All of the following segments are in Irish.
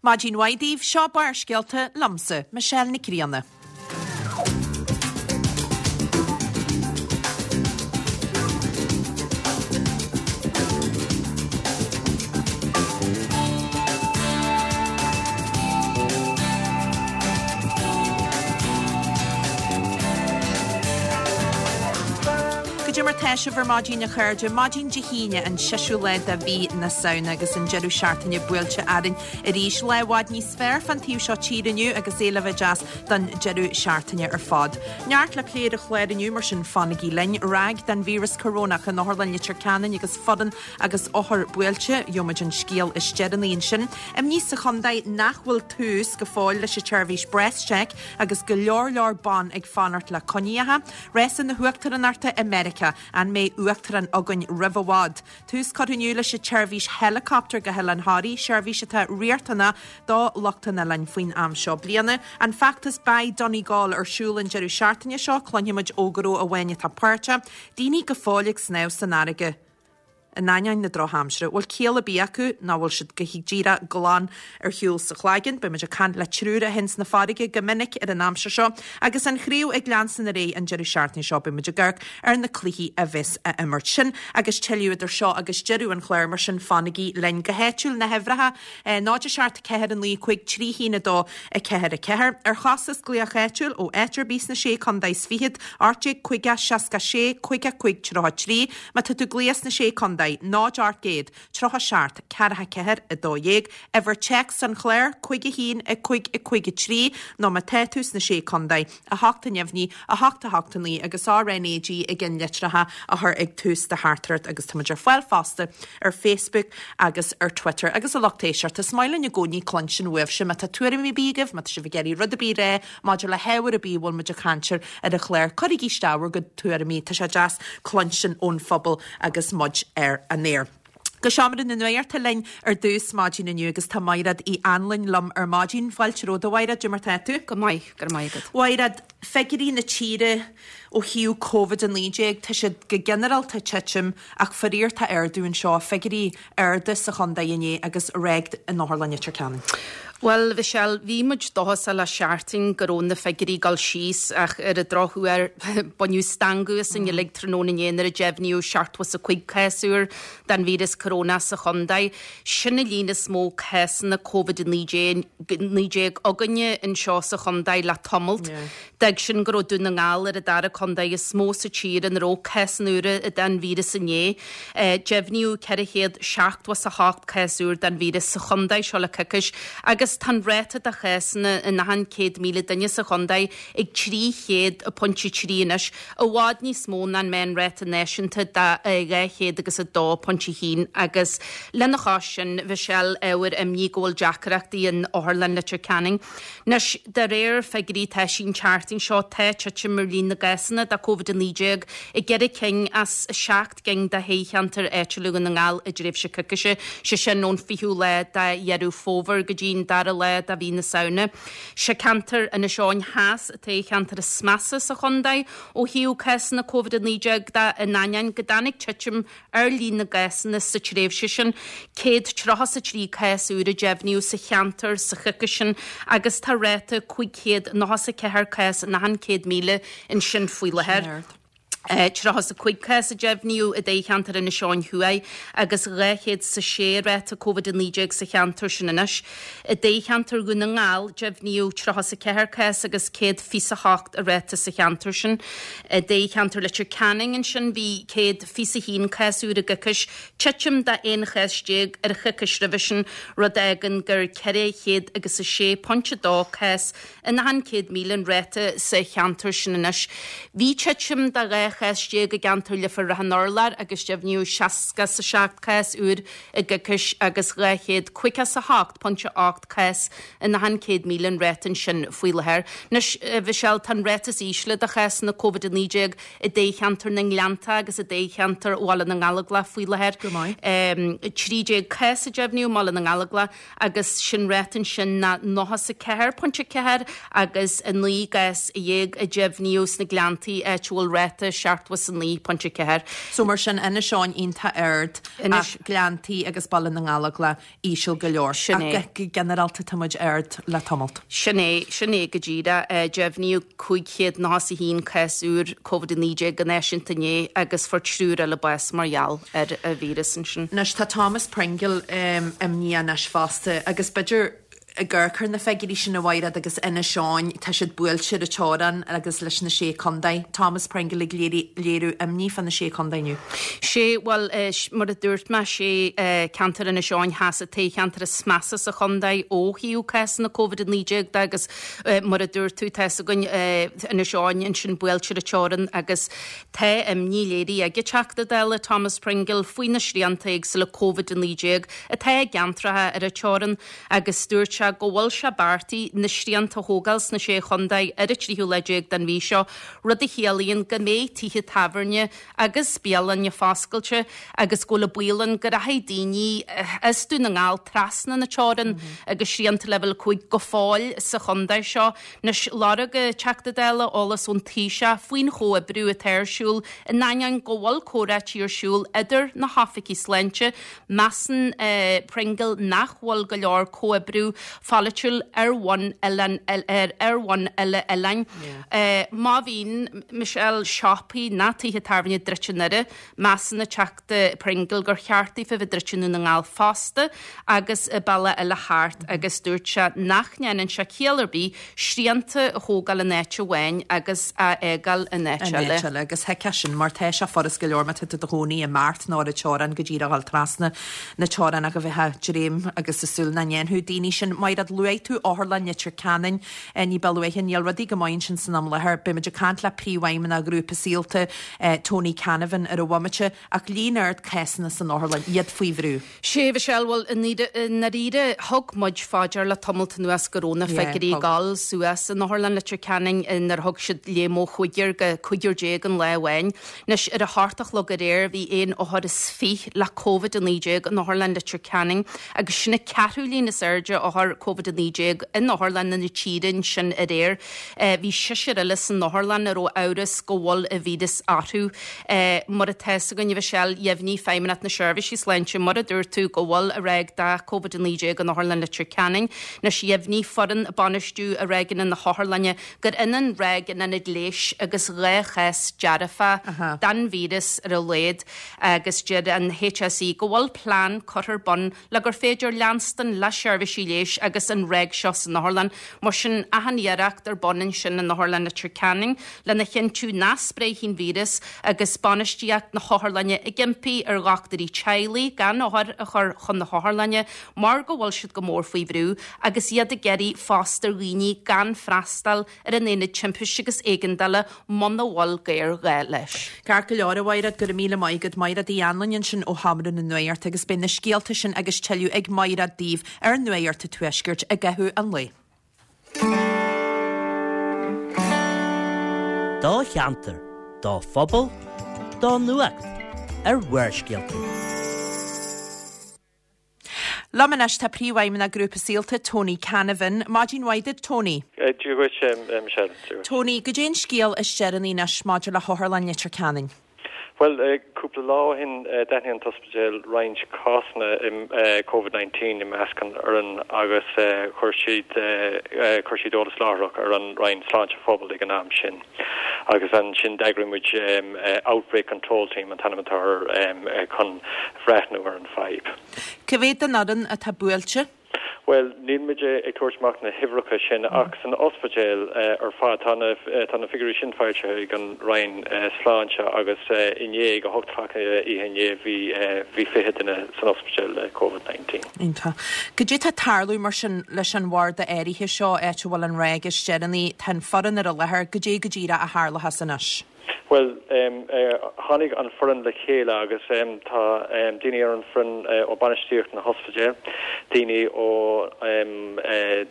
Maidin mhaith daoibh, seo Barrscéalta liomsa, Michelle Nic Grianna. Goidé mar tá sibh ar maidin a chairde, maidin Dé hAoine an seisiú lá de mhí na Samhna agus an deireadh seachtaine buailte orainn arís. Lá i bhfad níos fearr fán taobh seo tíre inniu agus é le bheith deas don deireadh seachtaine ar fad. Neart le plé ar an chlár inniu mar sin fanaigí linn. Ráig den víreas corónach in Otharlann Leitir Ceanainn agus foireann agus othair buailte. Gheobhaimid an scéal is deireanaí ansin. Imní sa chontae nach bhfuil tús go fóill leis an tseirbhís BreastCheck agus go leor leor ban ag fanacht le coinníocha. Rása na huachtaránachta i Meiriceá. An mbeidh uachtarán againn roimh i bhfad? Tús curtha inniu leis an tseirbhís helicopter go hOileán Thoraí, seirbhís atá riachtanach do lucht an oileáin faoin am seo bliana. An feachtas Buy Donegal ar siúl an deireadh seachtaine seo, cluinfimid ó ghnó amháin atá páirteach. Daoine go fóill ag snámh san fharraige in ainneoin na drochaimsire. Bhfuil ciall ar bith acu nó bhfuil siad go díreach glan ar shiúl sa chlaigeann? Beidh muid ag caint le triúr a théann sna farraige go minic ar an aimsir seo agus an chraobh ag leanstan ar aghaidh an deireadh seachtaine seo. Beidh muid ag amharc ar na cluichí a bheas á imirt. Sin agus tuilleadh idir seo agus deireadh an chláir, mar sin fanaigí linn. Go háitiúil, na huimhreacha, 0 7 4 9 5 3 1 2 4 4. Ar chostas glaoch áitiúil ó áit ar bith sna Sé Contae is Fichead, 18 50 66 55 33. Má tá tú ag glaoch sna Sé Contae, 0 800 37 44 12, uimhir téacs an chláir, 5 1 5 5 3, nó má tá tú sna Sé Contae, 8 a neamhní, 8 8 9 agus RnaG i gceannlitreacha a chur ag tús do theachtaireacht agus táimid ar fáil fosta ar Facebook agus ar Twitter. Agus a lucht éisteachta, is maith linn i gcónaí cluinstin uaibhse má tá tuairimí ar bith agaibh, má tá sibh ag iarraidh rud ar bith a rá maidir le hábhar ar bith a bhfuil muid ag caint air ar an chlár, cuirigí isteach bhur gcuid tuairimí, tá sé deas cluinstin ón phobal agus muid ar an aer. Go seomra na nuachta linn ar dtús maidin inniu agus tá Maighread Uí Anluain liom ar maidin. Fáilte romhat a Mhaighread, goidé mar tá tú? Go maith, go raibh maith agat. Mhaighread, figiúirí na tíre ó thaobh Covid-19, tá siad go ginearálta ag titim ach faraor tá ardú anseo, figiúirí arda sa chontae inné agus ráig in Otharlann Leitir Ceanainn. Bhuel, Mhichelle, bhí muid dóchasach le seachtain go raibh na figiúirí ag dul síos ach ar an drochuair baineadh stangadh asainn uilig tráthnóna inné nuair a deimhníodh 75 cás úr den víreas corónach sa chontae. Sin an líon is mó cásanna Covid-19 againne anseo sa chontae le tamalt. D'fhág sin go raibh Dún na nGall ar an dara contae is mó sa tír ina raibh cásanna úra den víreas inné. Deimhníodh 478 cás úr den víreas sa chontae seo le coicís agus tá an ráta de chásanna in achan 100,000 duine sa chontae ag 300.3 anois, i bhfad níos mó ná an meánráta náisiúnta de 202.1 agus lena chois sin, Mhichelle, ábhar imní go bhfuil deacrachtaí in Otharlann Leitir Ceanainn. Anois, de réir figiúirí atá eisithe an tseachtain seo, tá titim ar líon na gcásanna de Covid-19 i gceithre cinn as 7 gcinn de thoghcheantair áitiúla Dhún na nGall i dtréimhse coicíse, sé sin ón 20ú lá de Dheireadh Fómhair go dtí an dara lá de mhí na Samhna. Sé ceantar Inis Eoghain Theas an toghcheantar is measa sa chontae ó thaobh cásanna Covid-19 de, in ainneoin go dtáinig titim ar líon na gcásanna sa tréimhse sin, 133 cás úr a deimhníodh sa cheantar sa choicís sin agus tá ráta 594 cás in achan 100,000 ansin faoi láthair. 35 cás a deimhníodh i dtoghcheantar Inis Eoghain Thuaidh agus 206 ráta Covid-19 sa cheantar sin anois. I dtoghcheantar Dhún na nGall, deimhníodh 34 cás agus 128 a ráta sa cheantar sin. I dtoghcheantar Leitir Ceanainn ansin bhí 121 cás úr i gcoicís, titim de 11 chás ar an choicís roimhe sin, rud a fhágann gur 406.2 cás in achan 100,000 an ráta sa cheantar sin anois. Bhí titim de 12 chás i gceantar Leifear Ráth an Urláir agus deimhníodh 67 cás úr i gcoicís agus 258.8 cás in achan 100,000 an ráta ansin faoi láthair. Anois, a Mhichelle, tá an ráta is ísle de chásanna Covid-19 i dtoghcheantar na nGleannta agus i dtoghcheantar Bhaile na nGallóglach faoi láthair. Go maith. 13 cás a deimhníodh i mBaile na nGallóglach agus sin ráta ansin ná 94.4 agus 19 gcás a deimhníodh sna Gleanntaí áit a bhfuil ráta. 179.4. So mar sin, Inis Eoghain iontach ard ach Gleanntaí agus Baile na nGallóglach íseal go leor. Sin é. Ach go ginearálta tá muid ard le tamalt. Sin é, sin é go díreach. Deimhníodh 591 cás úr Covid-19 go náisiúnta inné agus fuair triúr eile bás mar gheall ar an víreas ansin. Anois tá Thomas Pringle imníoch anois fosta agus b'fhéidir ag amharc ar na figiúirí sin a Mhaighread agus Inis Eoghain, tá siad buailte ar an teorainn agus leis na Sé Contae. Thomas Pringle ag léiriú imní fá na Sé Contae inniu. Sé, bhuel, mar a dúirt mé, sé ceantar Inis Eoghain Theas an toghcheantar is measa sa chontae ó thaobh cásanna Covid-19 de agus mar a dúirt tú, tá fhios againn Inis Eoghain ansin buailte ar an teorainn agus tá imní léirithe ag an Teachta Dála Thomas Pringle faoi na srianta éagsúla Covid-19 atá i gceantracha ar an teorainn. agus dúirt sé go bhfuil sé beartaithe na srianta a thógáil sna Sé Chontae ar an tríú lá déag den mhí seo, rud a chiallaíonn go mbeidh tithe tábhairne agus bialainne foscailte agus go bhfuil an baol ann go rachaidh daoine as Dún na nGall trasna na teorann agus srianta Leibhéal 5 go fóill sa chontae seo. Anois, lorg an Teachta Dála eolas ón Taoiseach faoin chomhoibriú atá ar siúl in ainneoin go bhfuil comhráití ar siúl idir na hoifigigh sláinte Measann Pringle nach bhfuil go leor comhoibriú pholaitiúil ar bhonn oileán ar bhonn uile-oileáin. Má bhíonn, Michelle, siopaí ná tithe tábhairne druidte i nDoire, measann an Teachta Pringle gur cheart daofa bheith druidte i nDún na nGall fosta agus i Bealach Eile Thart agus dúirt sé nach ndéanann sé ciall ar bith srianta a thógáil in áit amháin agus a fhágáil in áit In eile. áit eile. Agus thuigfeá sin, mar tá sé furast go leor má tá tú i do chónaí i mBeart nó ar an teorainn go díreach a dhul trasna na teorann ach a bheith ag dréim agus ag súil nach ndéanfadh daoine sin. Maighread, luaigh tú Otharlann Leitir Ceanainn ní ba luaithe. Níl rudaí go maith ansin san am láthair. Beidh muid ag caint le Príomhfheidhmeannach Ghrúpa Saolta, Tony Canavan, ar an bhomaite, ach líon ard cásanna san otharlann, iad faoi bhrú. Sea, a Mhichelle, bhuel, i ndáiríre, thug muid fá dear le tamalt anuas go raibh na figiúirí ag dul suas in Otharlann Leitir Ceanainn nuair a thug siad léim ó chúigear go cúigear déag in lá amháin. Anois, ar a hocht a chlog aréir, bhí aon othar is fiche le Covid-19 in Otharlann Leitir Ceanainn agus sin an ceathrú líon is airde othar Covid-19 in otharlanna na tíre ansin aréir. Bhí seisear eile san otharlann a raibh amhras go bhfuil an víreas orthu. Mar atá fhios againn, a Mhichelle, dheimhnigh Feidhmeannacht na Seirbhísí Sláinte, mar a dúirt tú, go bhfuil ráig de Covid-19 in Otharlann Leitir Ceanainn. Anois, dheimhnigh foireann bainistiú ráigeanna na hotharlainne gur ionann ráig in ionad leighis agus 2 chás dearfa den víreas ar a laghad agus deir an HSE go bhfuil plean curtha ar bun le gur féidir leanstan le seirbhísí leighis agus an ráig seo san otharlann. Mar sin, achan iarracht ar bun ansin in Otharlann Leitir Ceanainn lena chinntiú nach spréifidh an víreas agus bainistíocht na hotharlainne ag impí ar dhochtúirí teaghlaigh gan othair a chur chun na hotharlainne mar go bhfuil siad go mór faoi bhrú agus iad ag iarraidh fosta ar dhaoine gan freastal ar an Aonad Timpiste agus Éigeandála muna bhfuil géarghá leis. Ceart go leor, a Mhaighread, go raibh míle maith agat. Maighread Uí Anluain ansin ó Sheomra na Nuachta agus beidh na scéalta sin agus tuilleadh ag Maighread daoibh ar Nuacht an Tuaiscirt i gcaitheamh an lae. Do cheantar, do phobal, do nuacht ar Bharrscéalta. Liom anois tá Príomhfheidhmeannach Grúpa Saolta, Tony Canavan. Maidin mhaith duit, Tony. Dia dhuit, Michelle. Dia dhuit. Tony, goidé an scéal is deireanaí anois maidir le hOtharlann Leitir Ceanainn? Bhuel, cúpla lá ó shin d'aithnigh an t-ospidéal roinnt cásanna Covid 19 i measc an fhoireann agus chuir siad chuir siad eolas láithreach ar an Roinn Sláinte Phobail ag an am sin. Agus ansin d'eagraigh muid Outbreak Control Team an t-ainm atá air chun bhreathnú ar an fadhb. Cá mhéad den fhoireann atá buailte? Bhuel, níl muid ag tabhairt amach na huimhreacha sin ach san ospidéal ar fad tá na tá na figiúirí sin foilsithe ag an Roinn Sláinte agus inné ag a hocht a chlog oíche inné bhí bhí 20 duine san ospidéal le Covid 19. Iontach. Goidé tá ag tarlú mar sin leis an bharda áirithe seo, áit a bhfuil an ráig is deireanaí, tá an foireann ar an láthair, goidé go díreach a tharlóchas anois? Bhuel, tháinig an foireann le chéile agus tá daoine ar an foireann ó bainistíocht na hospidéil, daoine ó.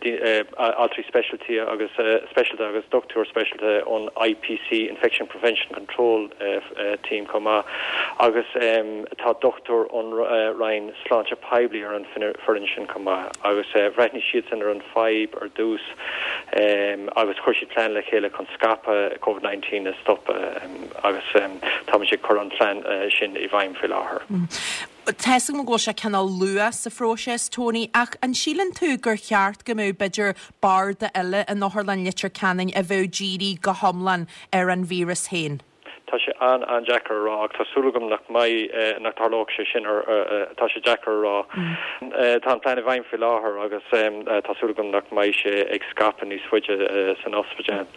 altraí speisialta agus speisialta agus dochtúir speisialta ón IPC, Infection Prevention Control Team chomh maith agus tá dochtúir ón Roinn Sláinte Poiblí ar an foireann sin chomh maith agus bhreithnigh siadsan ar an fadhb ar dtús agus chuir siad plean le chéile chun scaipeadh Covid 19 a stopadh agus táimid ag cur an plean sin i bhfeidhm faoi láthair. Tá 'fhios agam go bhfuil sé cineál luath sa phróiseas, Tony, ach an síleann tú gur cheart go mbeadh b'fhéidir barda eile in Otharlann Leitir Ceanainn a bheadh dírithe go hiomlán ar an víreas féin? Tá sé an-an-deacair a rá ach tá súil agam nach mbeidh, nach dtarlóidh sé sin, tá sé deacair a rá. Tá an plean i bhfeidhm faoi láthair agus tá súil agam nach mbeidh sé ag scaipeadh níos faide san ospidéal.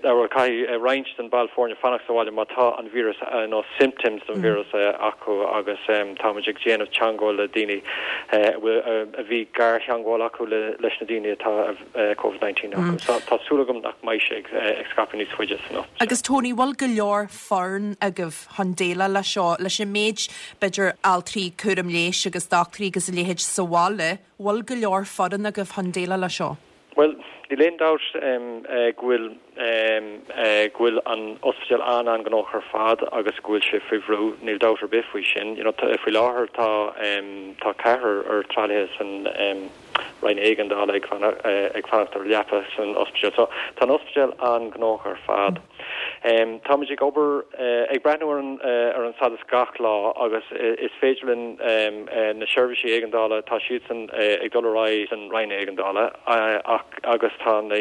Bhuel, caithfidh roinnt den ball foirne fanacht sa bhaile má tá an víreas nó symptoms den víreas acu agus táimid ag déanamh teangmháil le daoine a bhí gartheangmháil acu leis na daoine atá Covid 19 acu. So tá súil agam nach mbeidh sé ag scaipeadh níos faide san ospidéal. Agus Tony, bhfuil go leor foireann agaibh chun déileáil leis seo, leis an méid b'fhéidir altraí cúram leighis agus dochtúirí agus a leithéid sa bhaile, bhfuil go leor foireann agaibh chun déileáil leis seo? Bhuel, níl aon dabht go bhfuil go bhfuil an ospidéal an-an-ghnóthach ar fad agus go bhfuil sé faoi bhrú, níl dabht ar bith faoi sin. You know, faoi láthair tá tá ceathrar ar tralaithe san Roinn Éigeandála ag ag fanacht ar leapa san ospidéal. So tá an ospidéal an-ghnóthach ar fad. Táimid ag obair, ag breathnú ar an ar an stadas gach lá agus is féidir linn na seirbhísí éigeandála, tá siadsan ag dul ar aghaidh san Roinn Éigeandála ach agus tá na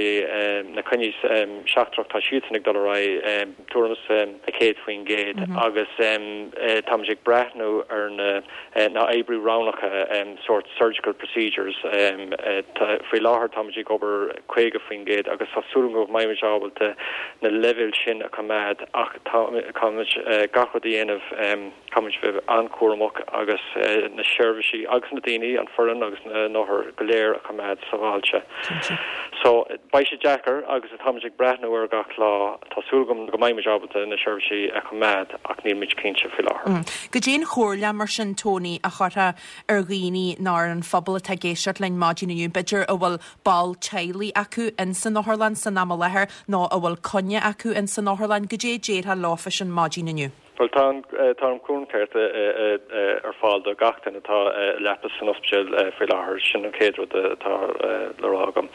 na coinní seachtrach, tá siadsan ag dul ar aghaidh tuairim is 100% agus táimid ag breathnú ar na na oibriú roghnacha, sórt surgical procedures. Faoi láthair táimid ag obair 50% agus tá súil agam go mbeimid ábalta na leibhéil sin a choimeád ach caithfimid gach rud a dhéanamh, caithfimid bheith an-chúramach agus na seirbhísí agus na daoine, an foireann agus na n-othair go léir a choimeád sábháilte. So beidh sé deacair agus táimid ag breathnú air gach lá. Tá súil agam go mbeimid ábalta na seirbhísí a choimeád ach nílimid cinnte faoi láthair. Goidé an chomhairle mar sin, Tony, a chuirfeá ar dhaoine nó ar an phobal atá ag éisteacht linn maidin inniu, b'fhéidir a bhfuil ball teaghlaigh acu ins an otharlann san am i láthair nó a bhfuil coinne acu ins an otharlann, goidé a déarfá leofa sin maidin inniu? Bhuel, tá an, tá an cúram ceart ar fáil do gach duine atá i leapa san ospidéal faoi láthair. Sin an chéad rud atá le rá agam.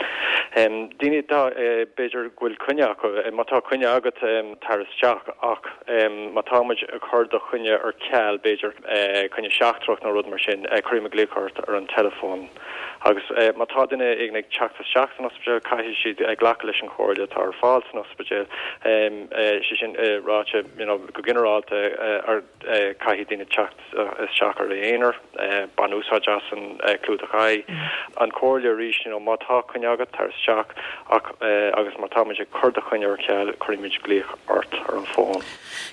Daoine atá, b'fhéidir go bhfuil coinne acu, má tá coinne agat, tar isteach ach má tá muid ag cur do choinne ar ceal, b'fhéidir coinne seachtrach nó rud mar sin, cuirfidh muid glaoch ort ar an teileafón. Agus má tá duine éigin ag teacht isteach san ospidéal, caithfidh siad glacadh leis an chomhairle atá ar fáil san ospidéal. Sé sin ráite, you know, go ginearálta, caithfidh daoine teacht isteach ar a aonar, bain úsáid as an clúdach aghaidh. An chomhairle arís, you know, má tá coinne agat, tar isteach ach agus má tá muid ag cur do choinne ar ceal, cuirfimid glaoch ort ar an bhfón.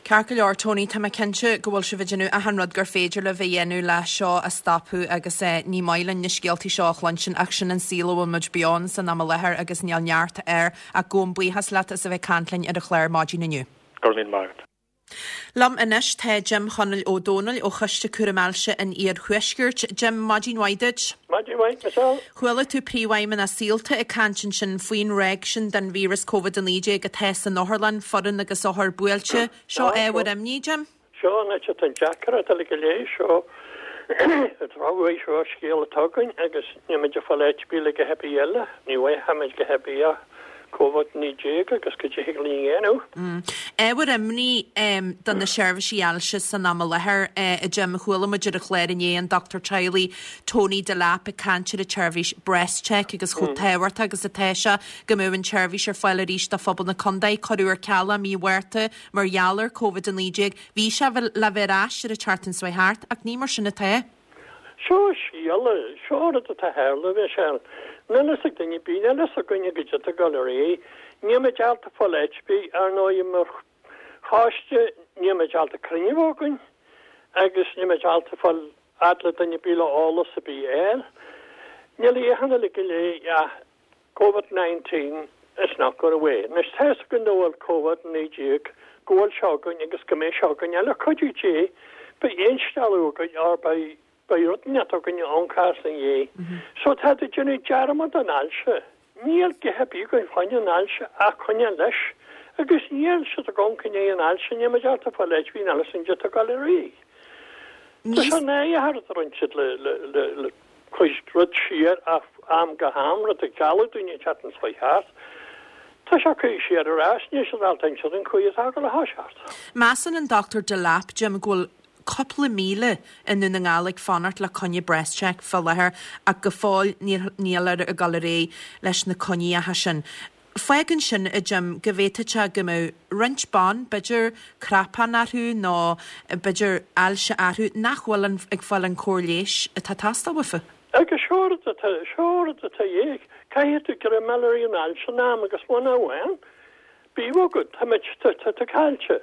Ceart go leor, Tony, tá mé cinnte go bhfuil sibh ag déanamh achan rud gur féidir libh a dhéanamh le seo a stopadh agus ní maith linn na scéaltaí seo a chluinstin ach sin an saol a bhfuil muid beo ann san am i láthair agus níl neart air ach gabhaim buíochas leat as a bheith ag caint linn ar an chlár maidin inniu. Go raibh míle maith agat. Liom anois tá Jim Chonaill Ó Dónaill ó Choiste Cúraim Ailse an Iarthuaiscirt. Jim, maidin mhaith duit. Maidin mhaith, Michelle. Chuala tú Príomhfheidhmeannach Saolta ag caint ansin faoin ráig sin den víreas Covid-19 atá san otharlann, foireann agus othair buailte. Seo ábhar imní, Jim? Seo an áit atá an deacracht uilig go léir. Seo an drochuair, seo an scéal atá againn agus níl muid ag fáil áit ar bith le go heibí eile. Ní bhfaighimid go heibí ach Covid-19 agus goidé thig linn a dhéanamh. Ábhar imní do na seirbhísí ailse san am i láthair, a Jim. Chuala muid ar an chlár inné an dochtúir teaghlaigh Tony Delap ag caint ar an tseirbhís BreastCheck agus chomh tábhachtach agus atá sé go mbeadh an tseirbhís ar fáil arís do phobal na contae. Cuireadh ar ceal é mí Mhárta mar gheall ar Covid-19. Bhí sé le bheith ar ais ar an tseachtain seo thart ach ní mar sin atá. Seo scéal, seo rud atá ag tarlú, Michelle. Níl fhios ag duine ar bith, níl fhios againne goidé atá ag dul ar aghaidh. Níl muid ábalta fáil áit ar bith, ar ndóigh, mar choiste, níl muid ábalta cruinniú a bheith againn agus níl muid ábalta fáil fhad le duine ar bith le eolas ar bith a fháil. Níl a fhios againn uilig go léir ach Covid 19 is not going away. Anois tá fhios againn go bhfuil Covid 19, go bhfuil seo againn agus go mbeidh seo againn. Le cuidiú Dé, beidh aon stealladh againn or beidh. Beidh rud inteacht againne ón cás ina dhiaidh. So tá tú ag déanamh dearmad den ailse. Níl githe ar bith againn fá choinne an ailse ach coinneáil leis. Agus níl siad ag amharc i ndiaidh an ailse, níl muid ábalta fáil áit bhí an ailse an giota ag dul ar aghaidh. Tá sé náireach ar a roinnt siad le le le le cuid rud siar ó am go ham, rud ag gealladh dúinn an tseachtain seo thart. Tá sé curtha siar ar ais, níl siad ábalta inse dúinn cá atá ag dul a thoiseacht. Measann an Dr Delap, Jim, go bhfuil cúpla 1,000 i nDún na nGall ag fanacht le coinne BreastCheck fá láthair ach go fóill níl níltear ag dul ar aghaidh leis na coinníollacha sin. Fágann sin, a Jim, go bhféadfadh sé go mbeadh roinnt ban, b'fhéidir cnapán orthu nó b'fhéidir ailse orthu, nach bhfuil an ag fáil an cóir leighis atá ag teastáil uafa. Agus seo rud atá, seo rud atá a dhíth, caithfidh tú greim a fháil ar an ailse in am agus muna bhfaigheann, Bíodh agat, tá muid, tá, tá, tá caillte.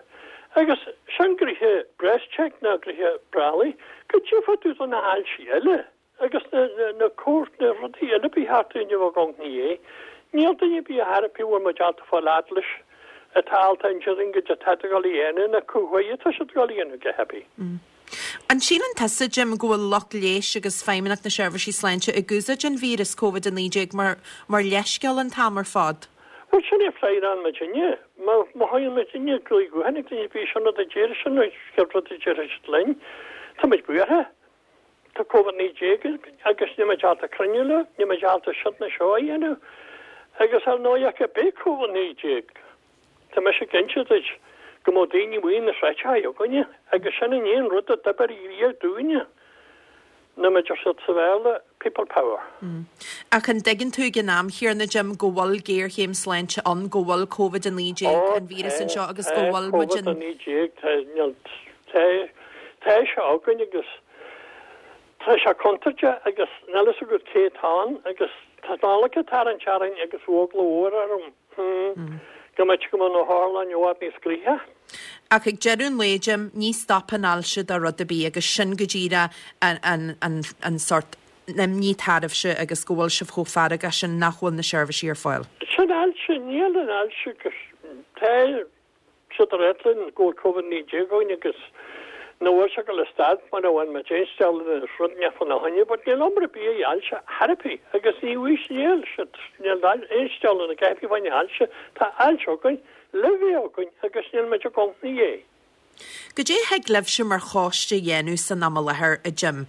Agus sin gnoithe BreastCheck ná gnoithe breallaigh, go dtiocfaidh tú do na hailsí eile agus na, na, na cóir, na rudaí eile ba cheart dúinn a bheith ag amharc ina dhiaidh. Níl duine ar bith a thairfí a bhfuil muid ábalta fáil fhad leis atá ábalta inse dúinn goidé atá ag dul a dhéanamh ná cá huair atá siad ag dul a dhéanamh go heibí. An síleann tusa, Jim, go bhfuil lucht leighis agus Feidhmeannacht na Seirbhísí Sláinte ag úsáid an víreas Covid-19 mar mar leithscéal an t-am ar fad? Bhuel, sin é freagra muidinne. Má má thagann muidinne glao gutháin ag duine ar bith, sin rud a deir sin an chéad rud a déarfaidh siad linn. Tá muid buartha. Tá Covid-19 againn agus níl muid ábalta cruinniú leo, níl muid ábalta seo ná seo a dhéanamh. Agus ar ndóigh ach beidh Covid-19. Tá mise ag inse duit go mbeadh daoine amuigh na sráideacha againne agus sin an aon rud a d'oibir riamh dúinne ná mar a deir siad sa Bhéarla, people power. Ach an dtuigeann tú ag an am chéanna, Jim, go bhfuil géarchéim sláinte ann, go bhfuil Covid-19, an víreas anseo agus go bhfuil muid in. Covid-19, tá, níl, tá, tá sé againn agus tá sé contúirteach agus níl a fhios agat cé atá ann agus tá an Nollaig ag tarraingt orainn agus eagla mhór orm. Go mbeidh go mbeidh na hotharlanna i bhfad níos gnoithí. Ach ag deireadh an lae, Jim, ní stopann ailse do rud ar bith agus sin go díreach an sórt imní atá oraibhse agus go bhfuil sibh chomh feargach sin nach bhfuil na seirbhísí ar fáil. Sin ailse, níl an ailse agus tá siad ag ráit linn go bhfuil Covid-19 againn agus nach bhfuil sé ag dul a stad muna bhfaigheann muid aon steall de rud inteacht fána choinne but níl iomra bia i ailse thar ar bith agus ní bhfuil níl siad níl aon steall ina gcaithfí fá choinne ailse tá ailse againn le bheith againn agus níl muid ag amharc ina dhiaidh. Goidé a thig libhse mar choiste a dhéanamh san am i láthair, a Jim,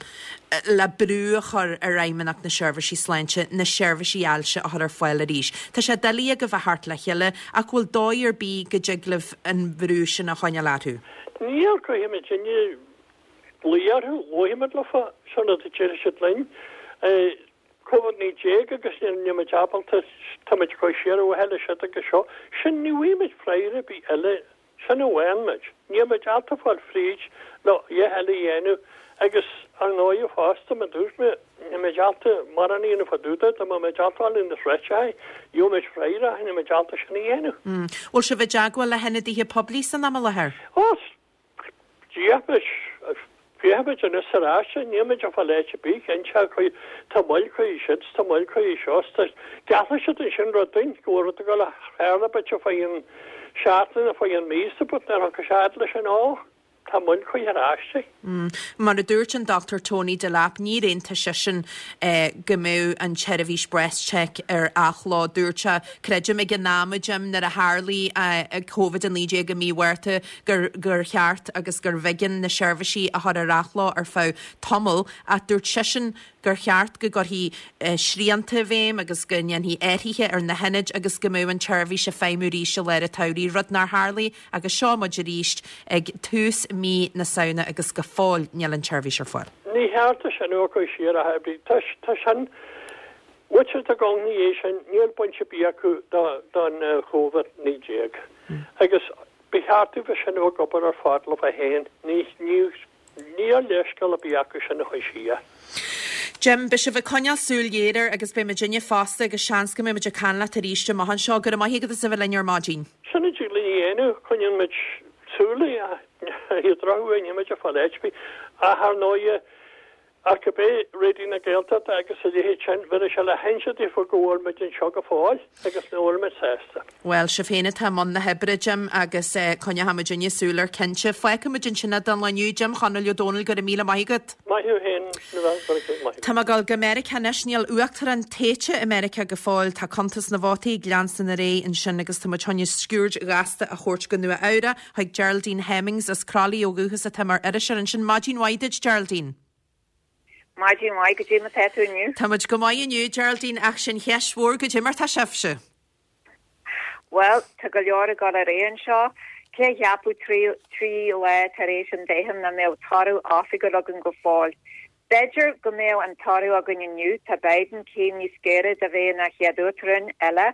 le brú a chur ar Fheidhmeannacht na Seirbhísí Sláinte na seirbhísí ailse a chur ar fáil arís? Tá sé doiligh agaibh a theacht le chéile ach bhfuil dóigh ar bith go dtig libh an brú sin a choinneáil orthu? Níl, caithfidh muidinne glaoch orthu, labhróidh muid leofa, sin rud a déarfaidh siad linn. Covid-19 agus níl muid ábalta, tá muid ag cur siar ar mhaithe le siod agus seo. Sin, ní bhfaighidh muid freagra ar bith eile. Sin a bhfaigheann muid. Níl muid ábalta fáil fríd le a dhath eile a dhéanamh agus ar ndóighe fosta, mar dúirt mé, níl muid ábalta mórán a dhéanamh fá dtaobh de, dá mbeadh muid ábalta fáil na sráideacha, gheobhadh muid freagra ach níl muid ábalta sin a dhéanamh. Bhfuil sibh i dteagmháil le hionadaithe poiblí san am i láthair? Ó, D'fhéach Féachfaidh muid anois ar ais, níl muid ag fáil áit ar bith, cinnte, tá moill chuige sin, tá moill chuige seo, tá, geallfaidh siad ansin rud dúinn, go bhfuil rud ag dul a tharla b'fhéidir fá an seachtain nó fá an mí, sa but nuair a thiocfaidh sé fhad leis sin, ó, tá moill chuige ar ais. Mar a dúirt an Dr Tony Delap, níor aontaigh seisean go mbeadh an tseirbhís BreastCheck ar athló. Dúirt sé, creidim ag an am, a Jim, nuair a tharlaigh Covid-19 i mí Mhárta, gur gur cheart agus gurbh éigean na seirbhísí a chur ar athló ar feadh tamaill ach dúirt seisean gur cheart go gcuirfí srianta i bhfeidhm agus go ndéanfaí athruithe ar na hionaid agus go mbeadh an tseirbhís ag feidhmiú arís i lár an tsamhraidh, rud nár tharlaigh agus seo muid arís ag tús mí na Samhna agus go fóill níl an tseirbhís ar fáil. Ní cheart é sin a chur siar ach oiread. Tá sin Bhfuil i gcónaí é sin, níl baint ar bith acu don Chóvid 19 agus ba cheart dóibh sin a bheith ag obair ar fad leo féin, níl leithscéal ar bith acu sin a chur siar. Jim, beidh sibh ag coinneáil súil ghéar air agus beidh muidinne fosta agus seans go mbeidh muid ag caint leat arís amach anseo. Go raibh maith agat as a bheith linn ar maidin. Sin a dtig linn a dhéanamh, coinníonn muid súil ar an drochuair, níl muid ag fáil áit ar bith ach ar ndóighe. Ach cibé, Raidió na Gaeltachta agus a leithéid sin, bheadh sé le hinse daofa go bhfuil muid anseo go fóill agus nach bhfuil muid sásta. Bhuel, sibh féin atá i mbun na hoibre, Jim, agus coinneoidh muidinne súil air cinnte. Fágfaidh muid ansin é don lá inniu. Jim Chonaill Ó Dónaill, go raibh míle maith agat. Maith thú féin, Nuala, go raibh maith agat. Tá mé ag dul go Meiriceá anois. Níl uachtarán tofa i Meiriceá go fóill. Tá cuntas na vótaí ag leanstan ar aghaidh ansin agus tá muid chun sciuird ghasta a thabhairt go Nua Eabhrac. Chuig Geraldine Hemmings as Croithlí ó dhúchas atá mar iriseoir ansin. Maidin mhaith duit, Geraldine. Maidin mhaith, goidé mar tá tú inniu? Tá muid go maith inniu, Geraldine, ach sin cheist mhór, goidé mar tá sibhse? Bhuel, tá go leor ag dul ar aghaidh anseo. Cé a cheapfadh 3 lá tar éis an toghcháin nach mbeadh toradh oifigiúil againn go fóill? B'fhéidir go mbeadh an toradh againn inniu, tá Biden céim níos gaire de bheith ina chéad uachtarán eile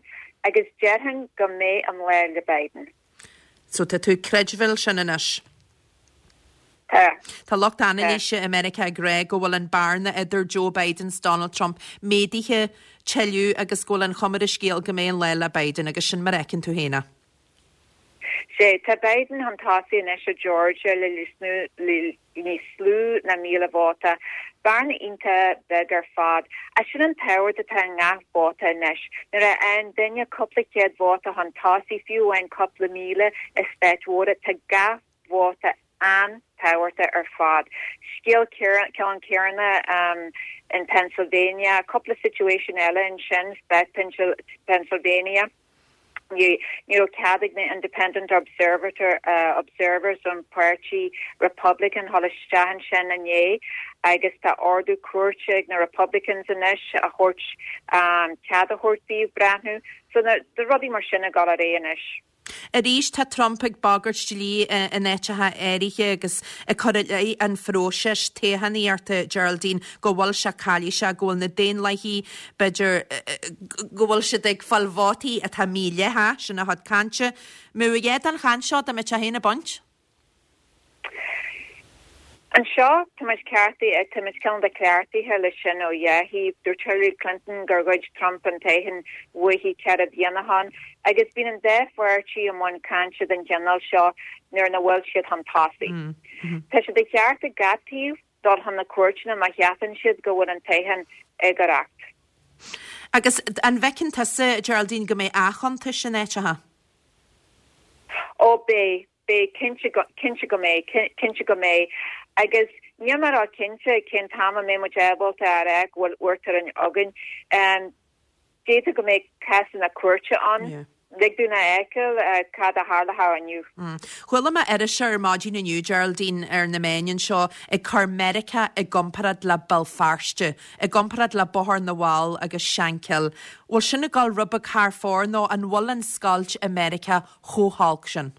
agus déarfainn go mbeidh an lá le Biden. So tá tú ag creidbheáil sin anois? Tá. Tá lucht anailíse i Meiriceá ag rá go bhfuil an bearna idir Joe Biden 's Donald Trump méadaithe tuilleadh agus go bhfuil an chuma ar an scéal go mbeidh an lá le Biden agus sin mar a fheiceann tú féin é. Sea, tá Biden chun tosaigh anois i Georgia le níos lú ná 1,000 vóta. Bearna iontach beag ar fad. Ach sin an tábhacht atá i ngach vóta anois. Nuair a fhaigheann duine cúpla céad vóta chun tosaigh, fiú amháin cúpla míle i stáit mhóra, tá gach vóta an-tábhachtach ar fad. Scéal ceann céanna in Pennsylvania, cúpla situation eile ansin, stát Pennsylvania. Ní raibh cead ag na Independent Observers ón páirtí Republican dhul isteach ansin inné agus tá ordú cúirte ag na Republicans anois a thabhairt cead a thabhairt daoibh breathnú. So tá rudaí mar sin ag dul ar aghaidh anois. Arís tá Trump ag bagairt dlí in áiteacha áirithe agus ag cur i leith an phróisis toghchánaíochta, Geraldine, go bhfuil sé calaoiseach, go bhfuil na Daonlathaigh, b'fhéidir, go bhfuil siad ag fáil vótaí atá mídhleathach, sin a chuid cainte. Mbeadh a dhath den chaint seo dá mbeadh sé féin ag baint? Anseo, tá muid ceartaithe, tá muid cineál de cleachtaithe leis sin ó dhá thaobh. Dúirt Hillary Clinton gur ghoid Trump an toghchán uaithi 4 bliana ó shin agus bíonn an dá pháirtí i mbun cainte den chineál seo nuair nach bhfuil siad chun tosaigh. Tá sé de cheart ag gach taobh dul chun na cúirteanna má cheapann siad go bhfuil an toghchán éagórach. Agus an bhfeiceann tusa, Geraldine, go mbeidh athchuntais in áiteacha? Ó, beidh, beidh, cinnte go, cinnte go mbeidh, cinnte go mbeidh. Agus níl mé ró-chinnte cén t-am a mbeidh muid ábalta a rá go bhfuil uachtarán againn. D'fhéadfadh go mbeidh cásanna cúirte ann. Lig dúinn a fheiceáil cad a tharlóidh inniu. Chuala mé iriseoir ar maidin inniu, Geraldine, ar na meáin anseo ag cur Meiriceá i gcomparáid le Béal Feirste, i gcomparáid le Bóthar na bhFál agus Shankill. Bhfuil sin ag dul rud beag thar fóir nó an bhfuil an scoilt i Meiriceá chomh holc sin?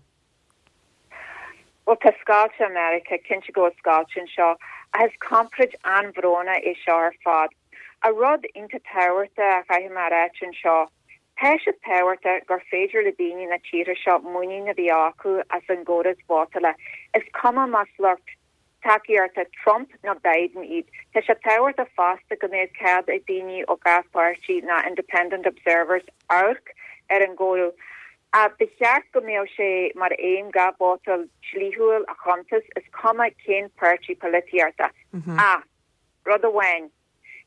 Bhuel, tá scoilt i Meiriceá, cinnte go bhfuil scoilt anseo, ach is comparáid an-bhrónach é seo ar fad. Ach rud iontach tábhachtach a chaithfidh mé a ráit anseo, tá sé tábhachtach gur féidir le daoine na tíortha seo muinín a bheith acu as an gcóras vótála, is cuma más lucht tacaíochta Trump nó Biden iad. Tá sé tábhachtach fosta go mbeadh cead ag daoine ó gach páirtí nó independent observers amharc ar an gcomhaireamh. Ach ba cheart go mbeadh sé mar aidhm gach vótáil dlíthiúil a chuntas, is cuma cén páirtí polaitíochta. Ach rud amháin,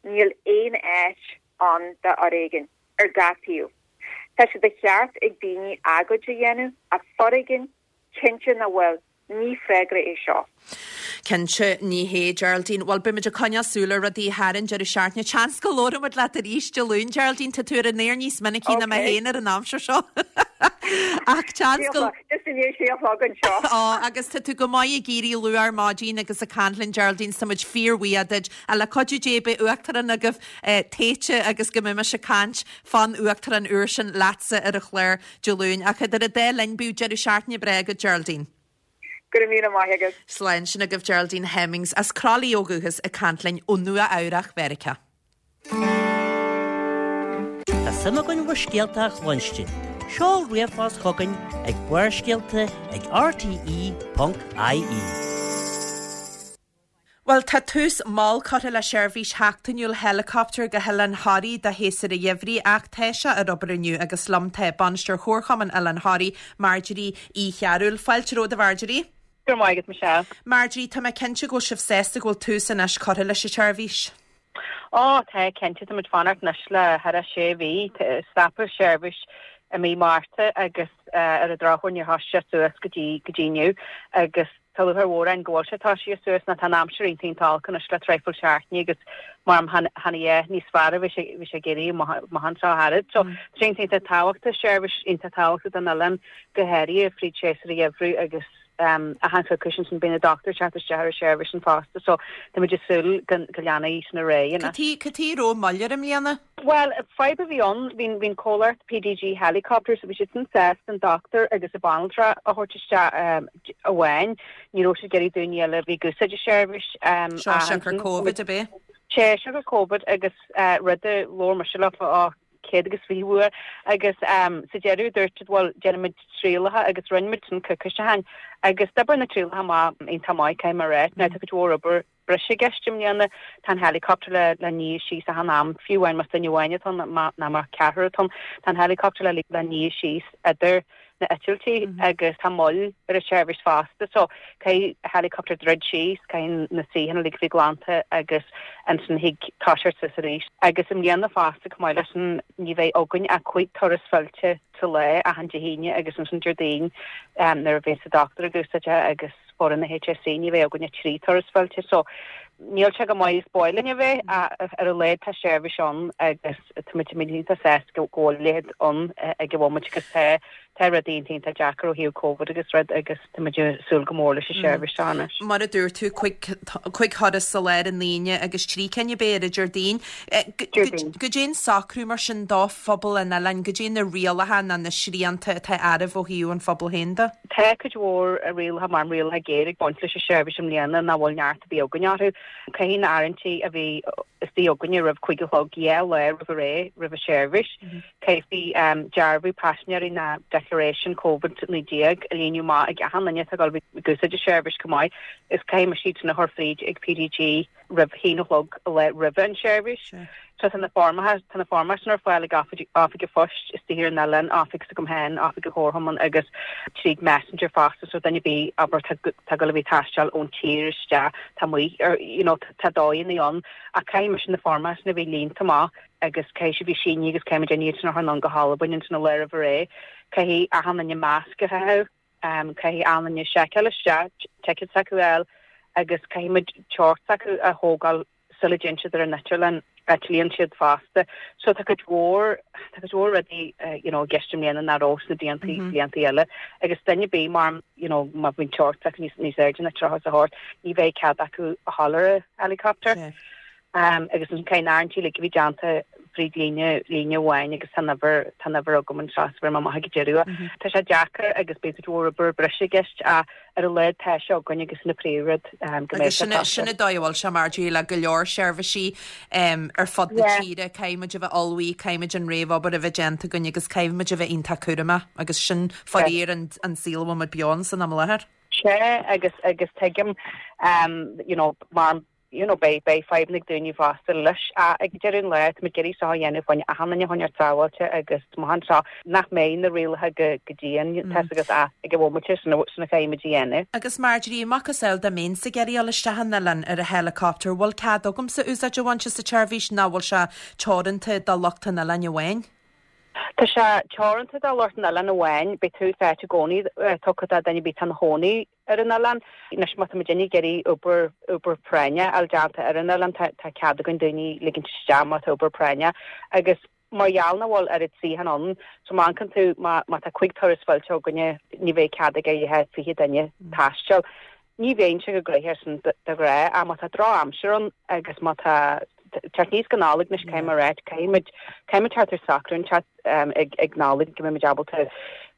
níl aon áit ann do fhoréigean, ar gach taobh. Tá sé de cheart ag daoine agóid a dhéanamh, ach foréigean, cinnte nach bhfuil. Ní freagra é seo. Cinnte, ní hé, Geraldine. Bhuel, beidh muid ag coinneáil súil ar rudaí thar an deireadh seachtaine. Seans go labhróidh muid leat arís Dé Luain, Geraldine. Tá tú ar an aer níos minicí ná mé féin ar an aimsir seo. Ach seans go. Just i ndiaidh sé a chlog anseo. Ó, agus tá tú go maith ag éirí luath ar maidin agus ag caint linn, Geraldine, so tá muid fíorbhuíoch duit. Ach le cuidiú Dé beidh uachtarán agaibh tofa agus go mbeidh mise ag caint fán uachtarán úr sin leatsa ar an chlár. Dé Luain. Ach idir an dá linn, bíodh deireadh seachtaine breá agat, Geraldine. Go raibh míle maith agat. Slán. Sin agaibh Geraldine Hemmings as Croithlí ó dhúchas ag caint linn ó Nua Eabhrach, Mheiriceá. Tá suim againn bhur scéalta a chluinstin. Seol ríomhphost chugainn ag barrscéalta ag rte.ie. Bhuel, tá tús mall curtha le seirbhís sheachtainiúil helicopter go hOileán Thoraí do shéasúr an gheimhridh ach tá sé ar obair inniu agus liom tá Bainisteoir Chomharchumann Oileán Thoraí, Marjorie Uí Chearúil. Fáilte romhat, a Mharjorie. Go raibh maith agat, Michelle. Marjorie, tá mé cinnte go bhfuil sibh sásta go bhfuil tús anois curtha leis an tseirbhís. Ó, tá, cinnte. Tá muid fanacht anois le thar a sé mhí. Stopadh seirbhís i mí Márta agus ar an drochuair níor thoisigh sé suas go dtí go dtí inniu agus tá lúcháir mhór orainn go bhfuil sé toisithe suas nó tá an aimsir iontach iontach olc anois le traidhfil seachtainí agus mar chan a dhath níos fearr a bhí sé bhí sé ag éirí amach anseo thairid. So tá sé iontach iontach tábhachtach, seirbhís iontach tábhachtach don oileán go háirithe fríd séasúr an gheimhridh agus achan choicís ansin bíonn an dochtúir ag teacht isteach ar an seirbhís sin fosta so tá muid ag súil go go leanfaidh sin ar aghaidh anois. Cad chuige a raibh moill air i mbliana? Bhuel, fadhb a bhí ann, bhí bhí an comhlacht PDG Helicopters, bhí siad sin sásta an dochtúir agus an banaltra a thabhairt isteach amháin, ní raibh siad ag iarraidh daoine eile a bhí ag úsáid an seirbhís Seo siocair Covid ab é? Sea, siocair Covid agus rud a labhair mise leo ó 120 uair agus sa deireadh dúirt siad bhuel déanfaimid trialacha agus rinne muid sin coicís ó shin agus d'oibrigh na trialacha amach iontach maith caithfidh mé a rá. Now tá cuid mhór obair breise i gceist i mbliana, tá an helicopter le le ní síos achan am, fiú amháin más duine amháin atá ann nó má ceathrar atá ann, tá an helicopter le le ní síos idir na eitiltí agus tá moill ar an tseirbhís fosta so caithfidh helicopter druid síos, caithfidh na suíocháin uilig a bheith glanta agus ansin thig toiseacht suas arís. Agus i mbliana fosta chomh maith leis sin ní bheidh againn ach 5 turas fillte sa lá achan Dé hAoine agus ansin Déardaoin nuair a bheas an dochtúir ag úsáid é agus foireann na HSE ní bheidh againn ach 3 turas fillte so níl sé chomh maith is ba mhaith linn a bheith ach ar a laghad tá seirbhís ann agus tá muid iontach sásta go bhfuil a leithéid ann ag an bhomaite agus tá tá rudaí iontach iontach deacair ó thaobh Covid agus rud agus tá muid ag súil go mór leis an seirbhís seo anois. Mar a dúirt tú, 5 thuras sa lá ar an Aoine agus 3 cinn ab é ar an Déardaoin. Déardaoin. Goidé an socrú mar sin do phobal an oileáin, goidé na rialacha nó na srianta atá oraibh ó thaobh an phobail féin de? Tá cuid mhór rialacha mar rialacha géar ag baint leis an seirbhís i mbliana nach bhfuil neart ar bith againn orthu. Caithfidh na áirithintí a bheith istigh againne roimh 5 a chlog 2 lá roimh a ré roimh an seirbhís. Caithfidh dearbhú paisinéirí ná declaration Covid-19 a líonadh amach ag achan duine atá ag dul ag úsáid an seirbhís chomh maith is caithfidh muid iad sin a chur fríd ag PDG roimh haon a chlog an lá roimhe an seirbhís. So tá na foirmeacha, tá na foirmeacha sin ar fáil ag oifig, oifig an phoist istigh ar an oileán, oifig s'agam féin, oifig an chomharchumainn agus tríd Messenger fosta so duine ar bith, abair, tá, tá ag dul a bheith ag taisteal ón tír isteach, tá amuigh ar, you know, tá dóigheanna ann ach caithfidh mise na foirmeacha sin a bheith líonta amach agus caithfidh siad bheith sínithe agus caithfidh muid iad sin a chur anonn go hAlbain ansin an lá roimh ré. Caithfidh achan duine masc a chaitheamh. Caithfidh achan duine seiceáil isteach, ticéad s'acu a fháil agus caithfidh muid teocht s'acu a thógáil sula dtéann siad ar an eitleán, eitlíonn siad fosta. So tá cuid mhór, tá cuid mhór rudaí you know i gceist i mbliana nach raibh sna blianta, blianta eile. Agus duine ar bith mar you know má bhíonn teocht s'acu níos, níos airde ná 38, ní bheidh cead acu a ghabháil ar an helicopter. Agus ansin caithfidh na áirithintí uilig a bheith déanta fríd líne, líne amháin agus tá an uimhir, tá an uimhir agam anseo so bhéarfaidh mé amach ag an deireadh. Tá sé deacair agus beidh cuid mhór obair breise i gceist ach ar a laghad tá sé againn agus sin an príomhrud go mbeidh sé tosaithe. Sin an dóigh a bhfuil sé Marjorie le go leor seirbhísí ar fud na tíre, caithfidh muid a bheith ullmhaithe, caithfidh muid an réamhobair a bheith déanta againn agus caithfidh muid a bheith iontach cúramach agus sin faraor an saol a bhfuil muid beo ann san am i láthair. Sea agus agus tuigim you know mar you know, beidh, beidh fadhbanna ag daoine fosta leis. Ach ag deireadh an lae, tá muid ag iarraidh seo a dhéanamh fá choinne achan duine a choinneáil sábháilte agus amach anseo nach mbeidh na rialacha go, go dian, tá 'fhios agat ach ag an bhomaite sin a, sin a chaithfidh muid a dhéanamh. Agus Marjorie, macasamhail dá mbeinnse ag iarraidh dul isteach an oileán ar an helicopter, bhfuil cead agamsa úsáid a bhaint as an tseirbhís nó bhfuil sé teoranta do lucht an oileáin amháin? Tá sé teoranta do lucht an oileáin amháin, beidh tús áite i gcónaí tugtha do duine ar bith atá ina chónaí ar an oileán. Anois má tá muidinne ag iarraidh obair, obair práinne a fháil déanta ar an oileán, tá, tá cead againn daoine a ligint isteach má tá obair práinne agus mar gheall nach bhfuil oiread suíochán ann, so má amharcann tú, má, má tá 5 turas fillte againne, ní bheidh cead ag ach 20 duine taisteal. Ní bheidh sé chomh gnoitheach sin de ghnáth ach má tá drochaimsir ann agus má tá teacht aníos go Nollaig anois caithfidh mé a ráit, caithfidh muid, caithfidh muid teacht ar socrú inteacht ag, ag Nollaig go mbeidh muid ábalta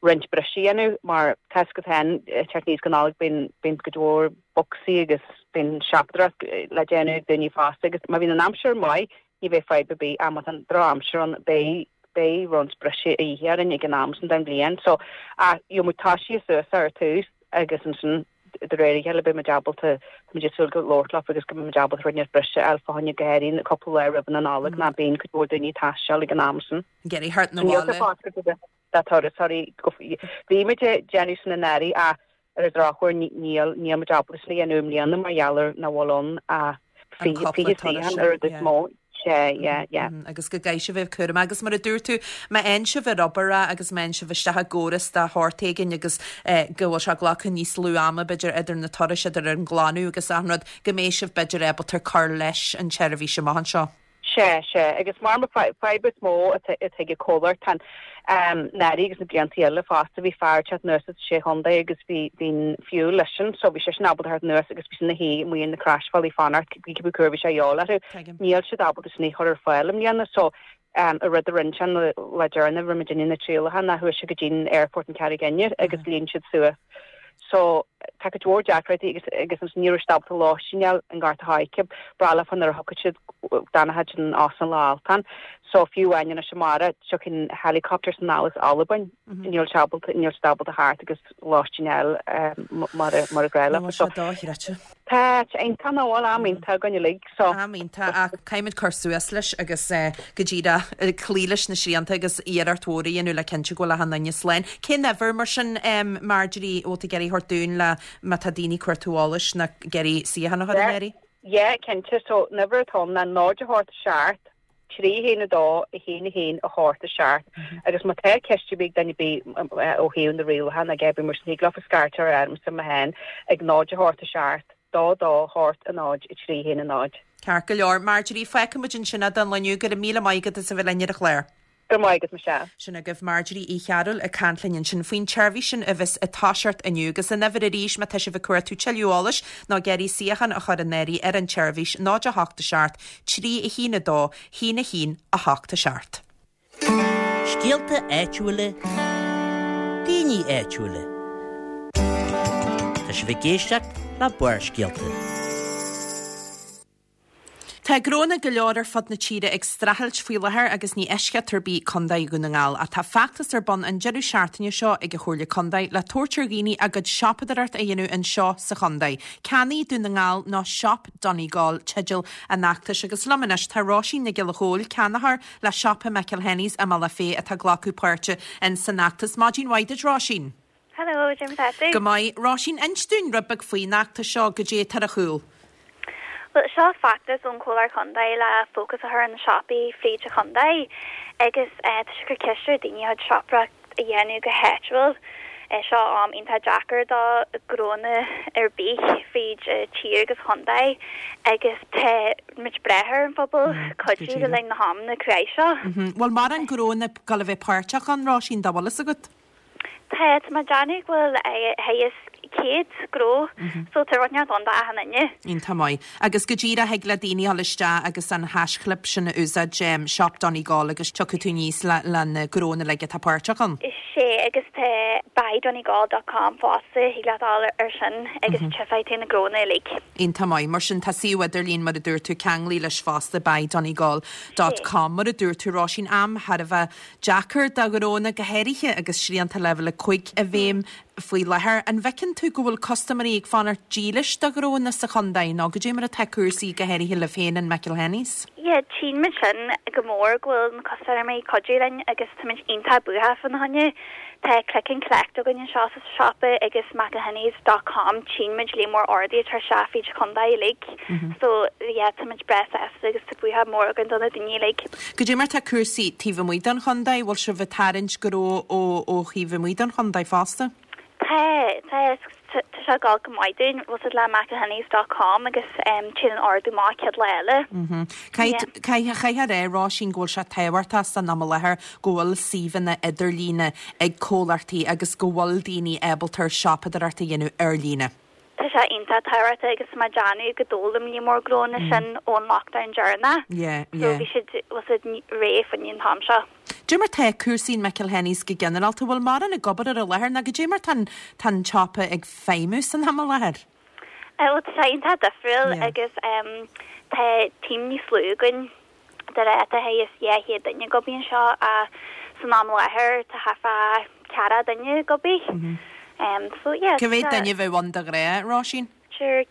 roinnt briseadh a dhéanamh mar tá 'fhios agat féin, teacht aníos go Nollaig bíonn, bíonn cuid mhór bocsaí agus bíonn siopadóireacht le déanamh ag daoine fosta agus má bhíonn an aimsir maith ní bheidh fadhb ar bith ach má tá an drochaimsir ann beidh, beidh roinnt briseadh a dhíth orainn ag an am sin den bhliain so ach gheobhaidh muid toisithe suas ar tús agus ansin de réir a chéile beidh muid ábalta, tá muid ag súil go labhairt leofa agus go mbeidh muid ábalta rud inteacht breise a fháil fá choinne go háirithe cúpla lá roimh an Nollaig ná bíonn cuid mhór daoine ag taisteal ag an am sin. Ag iarraidh theacht 'na bhaile. Níl sé fágtha de turasóirí, bhí muid ag déanamh sin anuraidh ach. Ar an drochuair níl níl muid ábalta sin a dhéanamh i mbliana mar gheall ar nach bhfuil ann ach An 20 cúpla turas suíochán sin, an rud is yeah. mó. Sea, yeah, yeah. Agus go gcaithfidh sibh a bheith cúramach. Agus mar a dúirt tú, má fhaigheann sibh ar obair é agus má fhaigheann sibh isteach i gcóras de shórt éigin agus go bhfuil sé ag glacadh níos lú ama b'fhéidir idir na turais, idir an glanadh agus achan rud, go mbeidh sibh b'fhéidir ábalta cur leis an tseirbhís amach anseo. Sea, sea. Agus mar an fadhb is mó atá ag an chomhlacht, tá anuraidh agus na blianta eile fosta, bhí fear ag teacht anuas as Sé Chontae agus bhí bhí an fuel leisean so bhí seisean ábalta theacht anuas agus bhí sé ina shuí amuigh ar na croisbhealaí fanacht cibé cá huair bhí sé a dhíobháil orthu. Níl siad ábalta sin a chur ar fáil i mbliana so an rud a rinne sé an lá deireanach a raibh muid ag déanamh na trialacha ná chuaigh sé go dtí an aerfort in Carraig Fhinn agus líon siad suas So, tá cuid mhór deacrachtaí agus agus ansin ní raibh siad ábalta lóistín a fháil i nGort a' Choirce, breá leofa nuair a thiocfadh siad d'fhanfadh siad in Óstán Loch Altan. So, fiú amháin anois amárach, tiocfaidh an helicopter anall as Albain, níl sé ábalta, níl siad ábalta theacht agus lóistín a fháil mar a mar a gnách leofa. Bhfuil sé dochreidte. Tá, tá iontach nach bhfuil, am iontach againn uilig, so. Am iontach, ach caithfimid cur suas leis agus go díreach cloí leis na srianta agus iarracht mhór a dhéanamh le cinntiú go bhfuil achan duine slán. Cén uimhir mar sin, Marjorie, a bhfuil tú ag iarraidh a thabhairt dúinn le má tá daoine ag cuartú eolais nó ag iarraidh suíochán a chur in áirithe? Yeah, cinnte, so an uimhir atá ann ná 0 8 7 3 1 2 1 1 8 7 agus má tá ceist ar bith ag duine ar bith ó thaobh na rialacha nó cibé mar sin thig leofa scairteáil ormsa mé féin ag 0 8 7 2 2 8 0 3 1 0. Ceart go leor. Marjorie, fágfaidh muid ansin é don lá inniu. Go raibh míle maith agat as a bheith linn ar an chlár. Go raibh maith agat, Michelle. Sin agaibh Marjorie Uí Chearúil ag caint linn ansin faoin tseirbhís sin a bheas ag toiseacht inniu. Agus an uimhir arís má tá sibh ag cuartú tuilleadh eolais nó ag iarraidh suíochán a chur in áirithe ar an tseirbhís, 0 8 7 3 1 2 1 1 8 7. Scéalta áitiúla, daoine áitiúla. Tá sibh ag éisteacht le Barrscéalta. Tá gnónna go leor ar fud na tíre ag streachailt faoi láthair agus ní eisceacht ar bith Contae Dhún na nGall. Ach tá feachtas ar bun an deireadh seachtaine seo ag an Chomhairle Contae le tabhairt ar dhaoine a gcuid siopadóireacht a dhéanamh anseo sa chontae. Ceannaigh Dún na nGall nó Shop Donegal teideal an fheachtais agus liom anois tá Róisín Nic Giolla Chóill, ceannaitheoir le siopa McElhenney's i mBealach Féich atá ag glacadh páirte in san fheachtas. Maidin mhaith duit Róisín. Hello, cad é mar tá tú? Go maith. Róisín, inis dúinn rud beag faoin fheachtas seo, goidé atá ar a chúl. Bhuel, seo feachtas ón Chomhairle Contae le fócas a chur ar na siopaí fríd an chontae agus tá sé ag cur ceist ar daoine a gcuid siopadóireacht a dhéanamh go háitiúil. Seo am iontach deacair do gnónna ar bith fríd an tír agus chontae agus tá muid ag brath ar an phobal cuidiú le linn na hamanna cruaidh seo. Bhfuil mórán gnónna ag gabháil a bheith páirteach ann, Róisín, dá bhfuil fhios agat? Tá, tá mé ag déanamh go bhfuil thart ar 100 gnó so tá rud inteacht ann d'achan duine. Iontach maith. Agus go díreach thig le daoine dhul isteach agus an haischlib sin a úsáid, Shop Donegal agus tiocfaidh tú aníos le le na gnónna uilig atá páirteach ann. Sea, agus tá buydonegal dot com fosta, thig leat dul ar sin agus tchífidh tú na gnónna uilig. Iontach maith. Mar sin tá suíomh idirlín mar a dúirt tú ceanglaithe leis fosta, buydonegal dot com. Mar a dúirt tú Róisín, am thar a bheith Deacair do ghnónna go háirithe agus srianta leibhéal 5 i bhfeidhm faoi láthair. An bhfeiceann tú go bhfuil custaiméirí ag fanacht dílis do ghnónna sa chontae nó goidé mar atá cúrsaí go háirithe libh féin in McElhenney's? Yeah, tchíonn muid sin go mór go bhfuil na custaiméirí ag cuidiú linn agus táimid iontach buíoch fána choinne. Tá click and collect againn anseo sa siopa agus McElhenney's dot com tchíonn muid líon mór orduithe ag teacht isteach fríd an chontae uilig so yeah táimid breá sásta agus tá buíochas mór againn do na daoine uilig. Goidé mar tá cúrsaí taobh amuigh den chontae, bhfuil sibh ag tarraingt gnó ó ó thaobh amuigh den chontae fosta? Tá, tá, tá sé ag dul go maith dúinn, bhfuil fhios agat le McElhenney's dot com agus téann an ordú amach céad lá eile. Caithfidh, caithfidh a rá, Róisín, go bhfuil sé tábhachtach san am i láthair go bhfuil suíomhanna idirlíne ag comhlachtaí agus go bhfuil daoine ábalta siopadóireacht a dhéanamh ar líne. Tá sé iontach tábhachtach agus tá mé ag déanamh go d'fhoghlaim líon mór gnónna sin ón lockdown deireanach. Yeah, yeah. So bhí siad, bhfuil fhios agat, réidh fá choinne an t-am seo. Goidé mar tá cúrsaí in McElhenney's go ginearálta, bhfuil mórán ag obair ar an láthair nó goidé mar tá an, tá an tsiopa ag feidhmiú san am i láthair? Bhuel tá sé iontach difriúil agus tá team níos lú againn de ghnáth tá thart ar 200 duine ag obair anseo ach san am i láthair tá thart fá 40 duine ag obair. So yeah. Cá mhéad duine a bheadh ann de ghnáth, Róisín? Sure.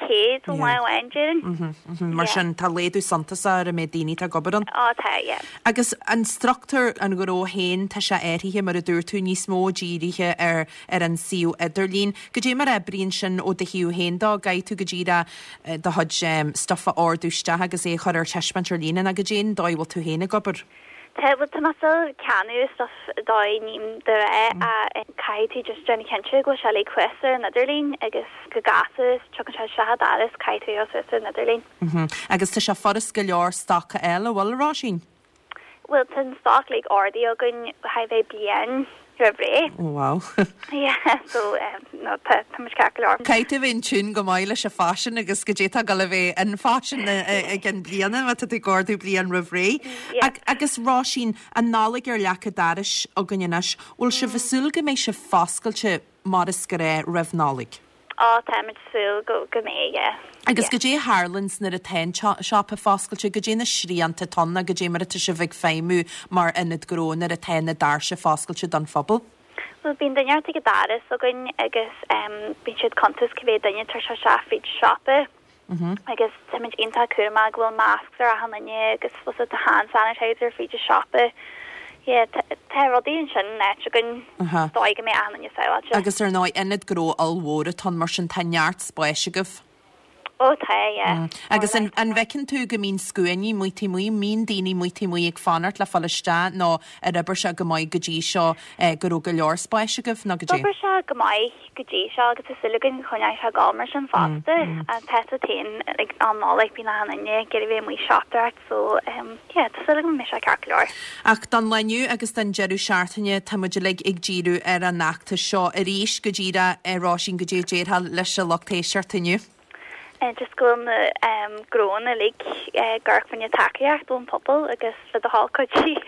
100 an lá amháin, déarfainn. Mar sin, tá laghdú suntasach ar an méid daoine atá ag obair ann. Á, tá, yeah. Agus an struchtúr an ghnó féin, tá sé athraithe, mar a dúirt tú, níos mó dírithe ar ar an suíomh idirlín. Goidé mar a oibríonn sin ó do thaobh féin dó? An gcaithfidh tú go díreach do chuid stuif a ordú isteach agus é a chur ar taispeáint ar líne nó goidé an dóigh a bhfuil tú féin ag obair? Tá, bhuel tá mé still ag ceannach stuff dóigh ním de réir ach caithfidh tú just déanamh cinnte go bhfuil sé uilig thuas ar an idirlíon agus go gasta tiocfaidh sé isteach i d'áras caithfidh tú a chur suas ar an idirlíon. Agus tá sé furast go leor stoc a fháil, an bhfuil, a Róisín? Bhuel tá an stoc uilig ordaithe againn chóir a bheith bliain roimh ré. Oh wow. Yeah so no tá tá muid ceart go leor. Caithfidh tú a bheith in tune go maith leis an faisean agus goidé atá ag dul a bheith in fashion i gceann bliana má tá tú ag ordú bliain roimh ré. Yeah. Agus Róisín, an Nollaig ar leac an dorais againn anois, bhfuil sibh ag súil go mbeidh sibh foscailte mar is gnáth roimh Nollaig? Á, táimid ag súil go go mbeidh, yeah. Agus goidé a tharlaíonns nuair atá an siopa foscailte, goidé na srianta atá ann nó goidé mar atá sibh ag feidhmiú mar ionad gnó nuair atá na doirse foscailte don phobal? Bhuel, bíonn duine ort ag an doras againn agus bíonn siad cuntas cé mhéad duine atá tar éis isteach fríd an siopa. Agus táimid iontach cúramach go bhfuil masks ar achan duine agus bhfuil tá hand sanitizer fríd an siopa. Yeah, tá rudaí ansin in áit againn dóigh go mbeidh achan duine sábháilte. Agus ar ndóigh, ionad gnó ollmhór atá ann, mar sin tá neart spáis agaibh. Ó tá, yeah. Agus an bhfeiceann tú go mbíonn scuainí amuigh taobh amuigh, an mbíonn daoine amuigh taobh amuigh ag fanacht le fáil isteach nó ar oibir sé go maith go dtí seo go raibh go leor spáis agaibh nó goidé? D'oibir sé go maith. go dtí seo agus tá súil againn go gcoinneoidh sé ag gabháil mar sin fosta. Tá a fhios agat féin ag am Nollag bíonn achan duine ag iarraidh bheith amuigh siopadóireacht so yeah tá súil agam go mbeidh sé ceart go leor. Ach don lá inniu agus don deireadh seachtaine tá muid uilig ag díriú ar an fheachtas seo arís go díreach, a Róisín, goidé a déarfá leis an lucht éisteachta inniu. Just go bhfuil na gnóanna uilig ag amharc fá choinne tacaíocht ón phobal agus le do thoil cuidigh.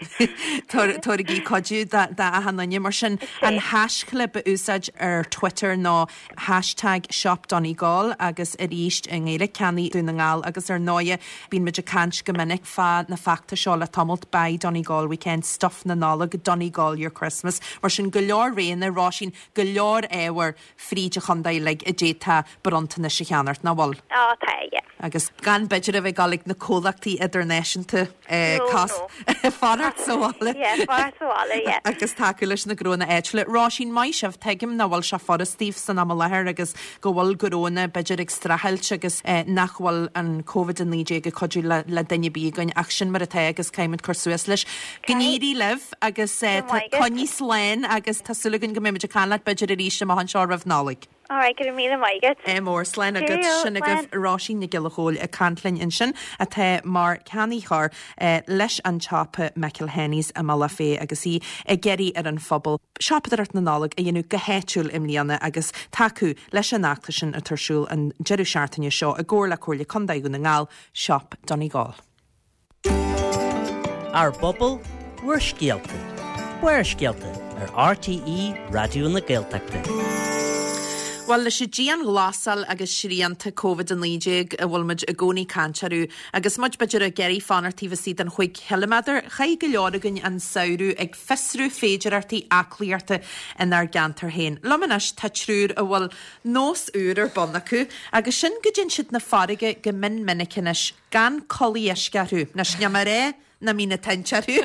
Tabhairigí cuidiú d'achan duine. Mar sin, an haischlib a úsáid ar Twitter nó hashtag ShopDonegal agus arís i nGaeilge, Ceannaigh Dún na nGall agus ar ndóighe bíonn muid ag caint go minic fá na feachtais seo le tamalt, Buy Donegal Weekend, Stuff na Nollag, Donegal Your Christmas. Mar sin, go leor roghanna, Róisín, go leor ábhair. fríd an chontae uilig a d'fhéadfá bronntanais a cheannacht, nach bhfuil? Á, tá, yeah. Agus gan b'fhéidir a bheith ag dul ag na comhlachtaí idirnáisiúnta No, no. fanacht sa bhaile. Yeah, fanacht sa bhaile, yeah. Agus tacú leis na gnónna áitiúla. Róisín, maith sibh, tuigim nach bhfuil sé furast daoibh san am i láthair agus go bhfuil gnónna b'fhéidir ag streachailt agus nach bhfuil an Covid-19 ag cuidiú le duine ar bith againn ach sin mar atá agus caithfimid cur suas leis. Go n-éirí libh agus coinnigh slán agus tá súil againn go mbeimid ag caint leat b'fhéidir arís amach anseo roimh Nollaig. Alright, go raibh míle maith agat. Ádh mór, slán agat. Sin agaibh Róisín Nic Giolla Chóill ag caint linn ansin atá mar ceannaitheoir leis an tsiopa McElhenney's i mBealach Féich agus í ag iarraidh ar an phobal siopadóireacht na Nollag a dhéanamh go háitiúil i mbliana agus tacú leis an fheachtas sin atá ar siúl an deireadh seachtaine seo i gcomhar le Comhairle Contae Dhún na nGall, Shop Donegal. Ár bpobal, bhur scéalta. Barrscéalta ar RTÉ Raidió na Gaeltachta. Bhuel, leis an dianghlasáil agus srianta Covid-19 a bhfuil muid i gcónaí ag caint orthu, agus muid b'fhéidir ag iarraidh fanacht taobh istigh den chúig chiliméadar, chaith go leor againn an samhradh ag fiosrú féidearthachtaí aclaíochta inár gceantar féin. Liom anois tá triúr a bhfuil nós úr ar bun acu, agus sin go dtéann siad 'na farraige go mion minic anois, Gan culaith uisce orthu. Anois, níl mé ag rá nach mbíonn na toinnte orthu.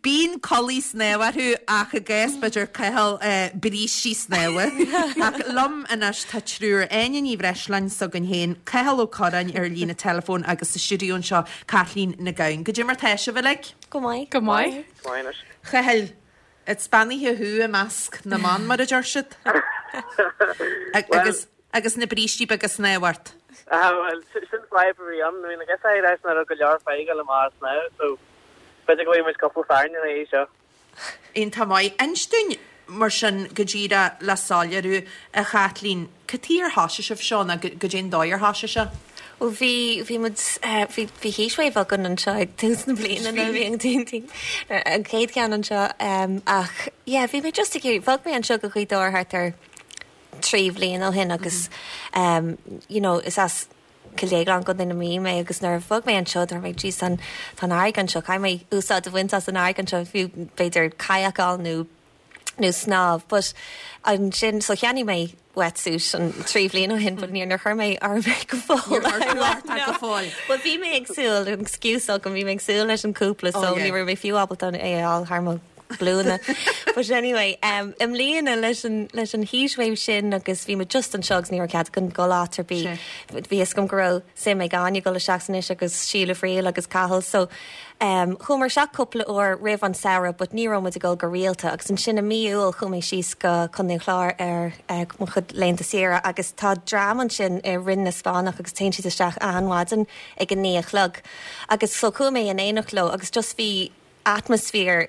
Bíonn culaith snámha orthu ach i gcás b'fhéidir Cathal brístí snámha. Ach liom anois tá triúr, Áine Ní Bhreisleáin s'againn féin, Cathal Ó Curráin ar líne teileafóin agus sa stiúideo anseo Caitlín Nic Gabhann. Goidé mar tá sibh uilig? Go maith. Go maith. Go maith anois. Chathail, is beannaithe thú i measc na mban mar a deir siad. Agus. Agus na brístí beaga snámha ort. Ah, bhuel, sin fadhb a bhí ann. I mean, I guess I reckon nach raibh go leor fear ag dul amach ag snámh, so b'fhéidir go bhfaighidh muid cúpla fear ina dhiaidh seo. Iontach maith. Inis dúinn, mar sin, go díreach le soiléiriú, a Chaitlín, cad chuige ar thosaigh sibh seo nó goidé an dóigh ar thosaigh sé? Bhuel, bhí, bhí muid, bhí, bhí heatwave againn anseo ag tús na bliana nuair a bhí an t-, an chéad cheann anseo, ach yeah, bhí mé just ag iarraidh, bhog mé anseo go Gaoth Dobhair thart ar 3 bhliain ó shin agus you know is as Cill Dhéagláin, Contae na Mí mé agus nuair a bhog mé anseo dúirt mé jeez tá an tá an fharraige anseo caithfidh mé úsáid a bhaint as an fharraige anseo fiú b'fhéidir kayak a fháil nó. Nó snámh but ansin so cheannaigh mé wetsuit an 3 bhliain ó shin but níor níor chuir mé orm é go fóill. Níor chuir tú ort é go fóill. Well bhí mé ag súil, an excuse agam, bhí mé ag súil leis an cúpla so ní raibh mé fiú ábalta é a fháil thar mo ghlúine. But anyway, um, i mbliana leis an, leis an heatwave sin agus bhí muid just anseo agus ní raibh cead againn dul áit ar bith. Bhí fhios agam go raibh suim ag Áine dul isteach san uisce agus Síle Friel agus Cathal so Em, chuamar isteach cúpla uair roimh an samhradh but ní raibh muid ag dul go rialta agus ansin i mí Iúil chuaigh mé síos go Contae an Chláir ar eh, mo chuid laethanta saoire agus tá dream ansin i Rinn na Spáinneach agus téann siad isteach achan mhaidin ag a naoi a chlog agus so chuaigh mé in éineacht leo agus just bhí atmaisféar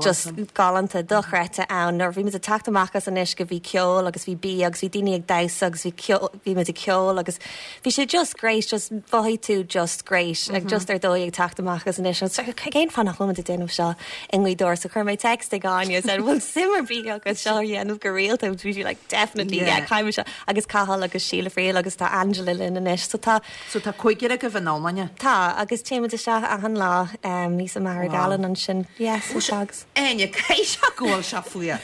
just galánta dochreidte ann. Nuair a bhí muid ag teacht amach as an uisce bhí ceol agus bhí bia agus bhí daoine ag damhsa agus bhí ceol, bhí muid ag ceol agus bhí sé just great, just mhothaigh tú just great, like just ar dóigh ag teacht amach as an uisce. Agus cén fáth nach bhfuil muid ag déanamh seo i nGaoth Dobhair? So chuir mé text ag Áine and said, bhfuil suim ar bith agat seo a dhéanamh go rialta? Bhí sí like, definitely, yeah, caithfidh muid seo. Agus Cathal agus Síle Friel agus tá Angela linn anois. So tá So tá cúigear agaibh in iomláine? Tá, agus téimid isteach achan lá thíos i Machaire Gallan ansin. Yes, tá agus. Áine, caithfidh sé go bhfuil sé fuar.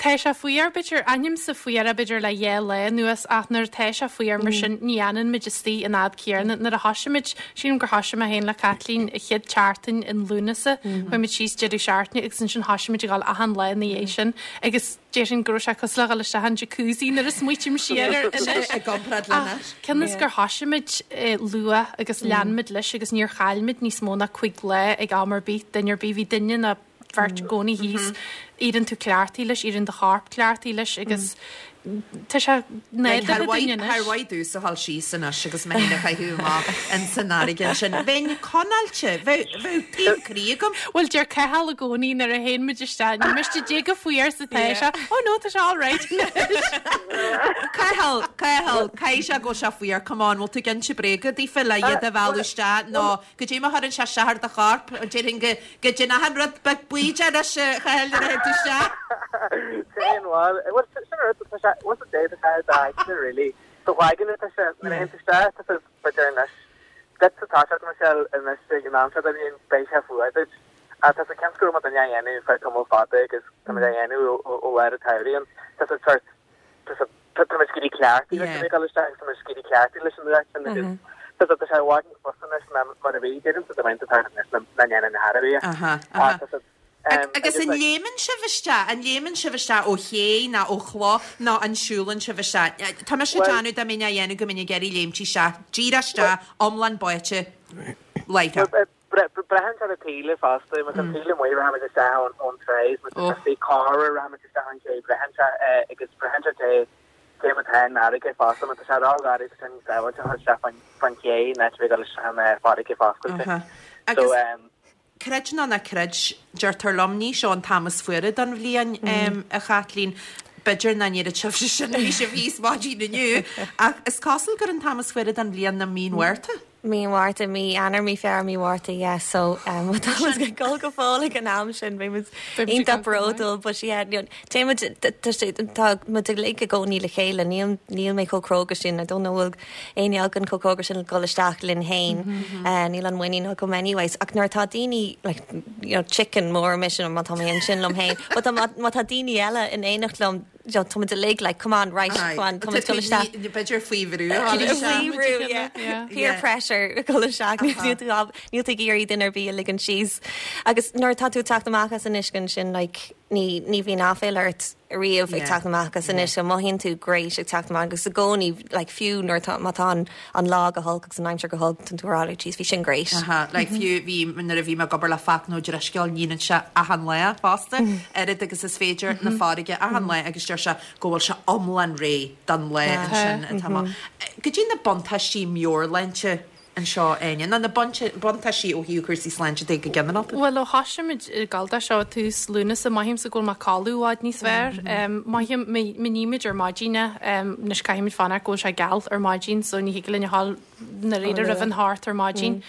Tá sé fuar, b'fhéidir, aithnímse fuar b'fhéidir le dhá lá anuas ach nuair atá sé fuar mar sin ní fhanann muid istigh an fhad céanna. Nuair a thoisigh muid, sílim gur thoisigh mé féin le Caitlín an chéad tseachtain in Lúnasa, chuaigh muid síos deireadh seachtaine agus ansin thoisigh muid ag dul achan lá ina dhiaidh sin agus Déarfainn go raibh sé cosúil le dhul isteach in jacuzzi nuair a smaoitím siar air anois. I gcomparáid le anois. Cionn is gur thoisigh muid luath agus lean muid leis agus níor chaill muid níos mó ná cuig lá ag am ar bith, duine ar bith, bhí duine nó beirt i gcónaí thíos. Éiríonn tú cleachtaithe leis, éiríonn do chorp cleachtaithe leis agus tá sé nádúrtha dúinn anois. Thar mhaith domhsa a dhul síos anois agus mé féin a chaitheamh amach ins an fharraige ansin. Bheinn conáilte, bheadh taom croí agam. Bhuel, deir Cathal i gcónaí nuair a théann muid isteach, ní miste cad é chomh fuar is atá sé, oh no, tá sé all right anois. Cathal, Cathal, caithfidh sé go bhfuil sé fuar, come on, bhfuil tú ag inse bréaga daofa le iad a mhealladh isteach nó Goidé mar a chuireann sé isteach ar do chorp, déarfainn go dtéann achan rud beag bídeach anois, a Chathail, nuair a théann tú isteach. Téann, bhuel, bhuel, sin an rud, tá sé, what's the day, tá sé ar d'aigne, really. Do dh'aigne atá sé, nuair a théann tú isteach, tá sé, b'fhéidir anois, duit sa tá sé, Michelle, anois ag an am seo den bhliain, beidh sé fuar duit. Ach tá sé cionn is go raibh muid á dhéanamh feadh tamall fada agus tá muid á dhéanamh ó lár an tsamhraidh ann, tá sé sort, Tá muid ag éirí cleachtaithe leis an ag dul isteach agus tá muid ag éirí cleachtaithe leis an nuacht sin agus tá tá sé i bhfad níos fusa anois ná mar a bhí. Deirimse dá mbeinn tá anois ná ndéanfainn a thairbhe. Aha, aha. Agus an léimeann sibh isteach, an léimeann sibh isteach ó ché nó ó chloch nó an siúlann sibh isteach? Tá mise ag déanamh dá mbeinn á dhéanamh go mbeinn ag iarraidh léimt isteach, díreach isteach, iomlán báite, láithreach. Braitheann sé ar an taoille fosta, má tá an taoille amuigh rachaimid isteach ón tráigh, má tá sé corr rachaimid isteach ón ché, braitheann sé agus braitheann sé dé cé mar atá an fharraige fosta, má tá sé ró-gharbh tá sé níos sábháilte a dhul isteach fán ché ná a bheith ag dul isteach an farraige foscailte. Agus creid nó ná creid, deirtear liom, ní seo an t-am is fuaire don bhliain, a Chaitlín, b'fhéidir nach ndéarfadh sibhse sin, bhí sibh thíos maidin inniu, ach is cosúil gur an t-am is fuaire don bhliain ná mí an Mhárta. Mí an Mhárta, mí Eanáir, mí Feabhra, mí Mhárta, yeah so má tá muid ag dul go fóill ag an am sin beidh muid iontach bródúil but yeah you know téann muid tá sé tá muid uilig i gcónaí le chéile níl níl mé chomh cróga sin I don't know bhfuil éinne againn chomh cróga sin le dul isteach linn féin níl an muinín agam anyways ach nuair atá daoine like you know chicken mór mise má tá mé ansin liom féin but má tá daoine eile in éineacht liom you know, tá muid uilig like, come on, right, come on, tá muid dul isteach. B'fhéidir faoi bhrú. Faoi bhrú, yeah. Peer pressure dul isteach. Níl tú níl tú ag iarraidh duine ar bith a ligean síos. Agus nuair atá tú ag teacht amach as an uisce ansin, like, ní, ní bhíonn aiféala ort riamh ag teacht amach as an uisce. Mothaíonn tú great ag teacht amach agus i gcónaí, like, fiú nuair atá, má tá an, an lá go holc agus an aimsir go holc, tá tú ag rá, like, jeez, bhí sin great. Aha, like, fiú bhí, nuair a bhí mé ag obair le Fachtna Ó Drisceoil, níonn sé achan lá fosta, oiread agus is féidir na farraige achan lá agus deir sé go bhfuil sé iomlán réidh don lá ansin atá amach. Goidé na buntáistí meabhairshláinte anseo, Áine, nó na buntáistí ó thaobh cúrsaí sláinte de go ginearálta? Bhuel, ó thoisigh muid ag gabháil dó seo tús Lúnasa, mothaímse go bhfuil mé ag codladh i bhfad níos fearr. Mothaím, má nímid ar maidin é, anois caithfimid fanacht go bhfuil sé geal ar maidin so ní thig linn a ghabháil. ndáiríre roimh an hocht ar maidin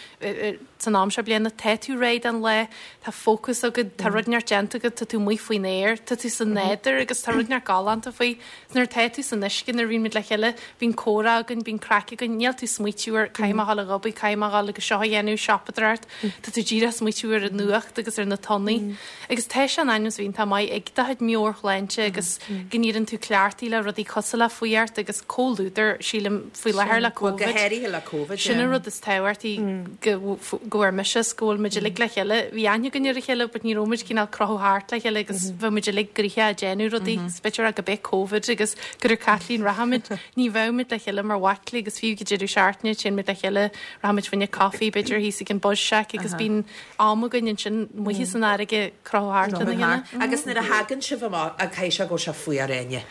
san am seo bliana. Tá tú réidh don lá, tá fócas agat, tá rud inteacht déanta agat, tá tú amuigh faoin aer, tá tú sa nádúr agus tá rud inteacht galánta faoi. Nuair atá tú san uisce, nuair a bhíonn muid le chéile, bíonn comhrá againn, bíonn craic againn, níl tú ag smaoitiú ar caithfidh mé a dhul ag obair, caithfidh mé a dhul agus seo a dhéanamh, siopadóireacht, tá tú díreach ag smaoitiú ar an nuacht agus ar na tonnaí. Agus tá sé in ainm is a bheith iontach maith ag do chuid meabhairshláinte agus go n-éiríonn tú cleachtaithe le rudaí cosúil le fuireacht agus comhluadar, sílim, faoi láthair le Bhuel, Covid. go háirithe le Covid, Sin an rud is tábhachtaí go go bhfuair mise is go bhfuil muid uilig le chéile. Bhí aithne againn ar a chéile but ní raibh muid cineál crochadh thart le chéile agus bheadh muid uilig gnoitheach ag déanamh rudaí. Is b'fhéidir go b'é Covid agus gur ar Caitlín rachaimid, ní bheadh muid le chéile mar bhaicle agus fiú go deireadh seachtaine téann muid le chéile, rachaimid fá choinne coffee b'fhéidir thíos ag an Buzz Shack agus bíonn am againn ansin amuigh san fharraige crochadh thart lena chéile. Agus nuair a thagann sibh amach, caithfidh sé go bhfuil sé fuar Áine.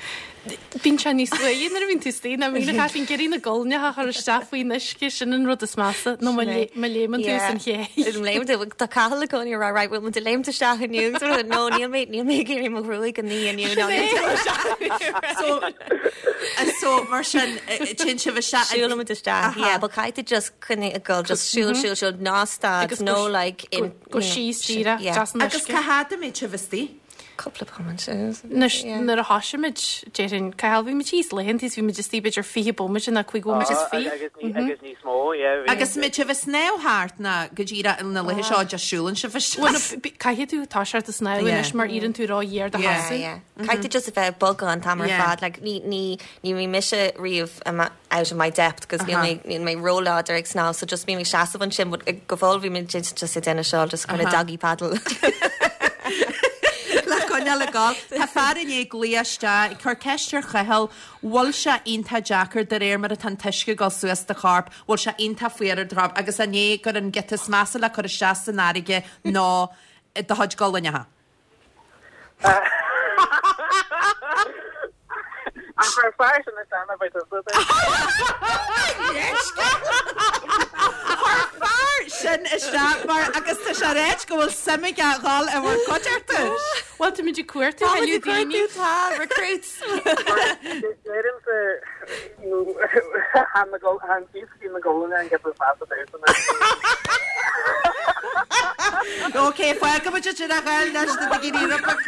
Bíonn sé níos fuaire nuair a bhíonn tú istigh ná bíonn a Chaitlín ag iarraidh na guailneacha a chur isteach faoin uisce, sin an rud is measa, nó má léimeann tú san ché. Léim tú, tá Cathal i gcónaí ag rá right bhfuil muid ag léimt isteach inniu agus rud no níl mé níl mé ag iarraidh mo ghruaig a ní inniu ná níl mé isteach. So so mar sin téann sibh isteach. Siúlaimid isteach, yeah, but caithfidh tú just coinnigh ag dul just siúl siúl siúl ná stad no like in go síos díreach yeah. Agus cá fhad a mbeidh sibh istigh? Cúpla bomaite. Anois nuair a thosaigh muid déarfainn Cathal bhí muid thíos laethanta is bhí muid istigh b'fhéidir 20 bomaite nó 5 bhomaite is 20. Agus níos mó yeah. Agus mbeidh sibh ag snámh thart nó go díreach na laethe seo just siúlann sibh isteach? Bhuel caithfidh tú toiseacht ag snámh anois mar éiríonn tú ró-ghéar do sheasamh. Yeah yeah. Caithfidh tú just a bheith ag bogadh an t-am ar fad like ní ní ní bhí mise riamh out of my depth 'cause níl mé níl mé róláidir ag snámh so just bím ag seasamh ansin but go fóill bhí mé just ag déanamh seo just kind of doggy paddle. Le coinneáil ag gabháil. Tá fear i ndiaidh glaoch isteach ag cur ceist ar Chathal, bhfuil sé iontach deacair de réir mar atá an t-uisce ag dul suas do chorp, bhfuil sé iontach fuar ar do chorp agus an é gur an giota is measa le cur isteach san fharraige ná do chuid gualainneacha? An chuir fear sin isteach na bhfuil Chuir fear sin isteach mar agus tá sé ag ráit go bhfuil suim aige a dhul i bhur gcuideachta. Bhuel, táimid ag cuartú thuilleadh daoine. Tá, recruits. Deirimse an síos go dtí na gualainne an giota is measa domhsa. Ok, fágfaimid sin a ghabháil leis na daoine rubach.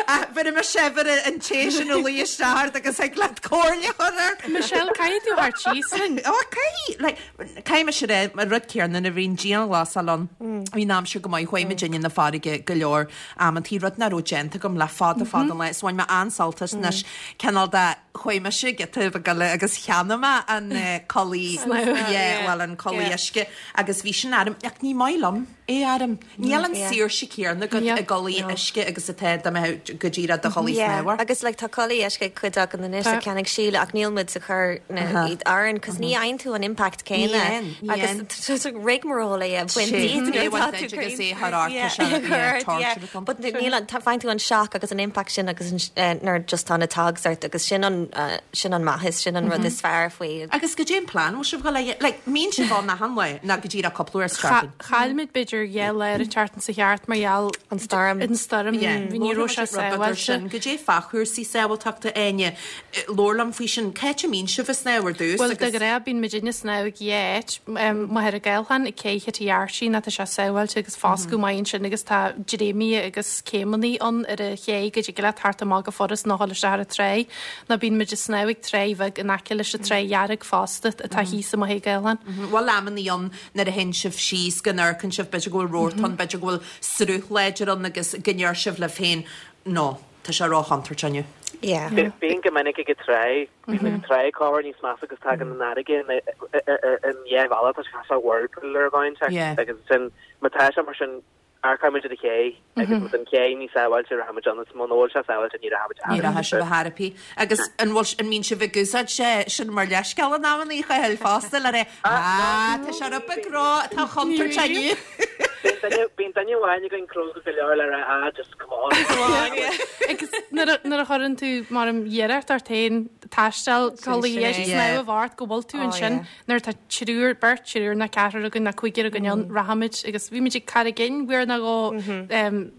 Ach bheir mise bheir an té sin a luí isteach ort agus thig leat comhairle a chur air. Michelle, caithfidh tú theacht síos linn. Ó, caithfidh, like, caithfidh mise a rá, an rud céanna nuair a bhí an dianghlasáil ann, bhí an aimsir go maith, chuaigh muidinne 'na farraige go leor amantaí, rud nach raibh déanta agam le fada fada an lá, so bhain mé an-sult as anois, cineál de, chuaigh mise giota beag eile agus cheannaigh mé an culaith, yeah, bhuel an culaith uisce agus bhí sin orm, ach ní maith liom é orm. Níl an saoirse céanna agat i gculaith uisce agus atá dá mbeadh go díreach i do chulaith snámha. Agus like tá culaith uisce ag cuid againn anois a cheannaigh Síle ach níl muid ag cur na iad orainn cos ní fhaigheann tú an impact céanna agus rigmarole é a bhaint díot nuair atá tú agus é thar ort tá sé yeah torture atá ann. But níl an faigheann tú an shock agus an impact sin agus nuair just tá na togs ort agus sin an sin an maitheas sin an rud is fearr faoi. Agus goidé an plean bhfuil sibh dhul a like mbíonn sibh ann achan lá nó go díreach cúpla uair sa tseachtain? Chaill muid b'fhéidir 2 lá ar an tseachtain seo thart mar gheall An stoirm. an stoirm. Yeah. Bhí ní raibh sé Labhair muid rud beag ar sin. sábháilte. Goidé fá chúrsaí sábháilteachta Áine, labhair liom faoi sin. Cá háit a mbíonn sibh ag snámh ar dtús Bhuel, de agus. ghnáth bíonn muidinne ag snámh ag dhá áit, Machaire Gathlán ag Cé Chití Archie nó tá sé sábháilte agus foscadh maith ansin agus tá dréimithe agus céimeanna ann ar an ché go dtig leat theacht amach go furast nó dhul isteach ar an tráigh. Nó bíonn muid ag snámh ag Tráigh Bheag in aice leis an Tráigh Dhearg fosta atá thíos i Machaire Gathlán. Bhfuil amannaí ann nuair a théann sibh síos, go n-amharcann sibh, b'fhéidir go bhfuil rabharta ann, b'fhéidir go bhfuil sruth láidir ann agus go ndeir sibh libh féin, no, tá sé ró-chontúirteach inniu. Yeah. Bíonn go minic ag an tráigh, bíonn an tráigh corruair níos measa agus tagann an fharraige in an dhá bhealach, tá sé cosúil le whirlpool ar dhóigh inteacht agus ansin má tá sé mar sin Amharcann muid ar an ché agus má tá an ché níos sábháilte rachaimid ann is muna bhfuil sé sábháilte ní rachaimid Ní rachaidh sibh ar chor ar bith. Agus an bhfuil, an mbíonn sibh ag úsáid sin mar leithscéal in amannaí, a Chathail, fosta le rá, ah, tá sé rud beag ró, tá chontúirt inniu. Bíonn duine amháin againn cróga go leor le rá ah just come on. Come on, yeah. Agus nuair a chuireann tú mar an iarracht ort féin taisteal culaith dheis snámh ort go bhfuil tú ansin nuair atá triúr, beirt, triúr nó ceathrar againn nó cúigear againn ann, rachaimid agus bhí muid ag Carraig Fhinn uair nó dhó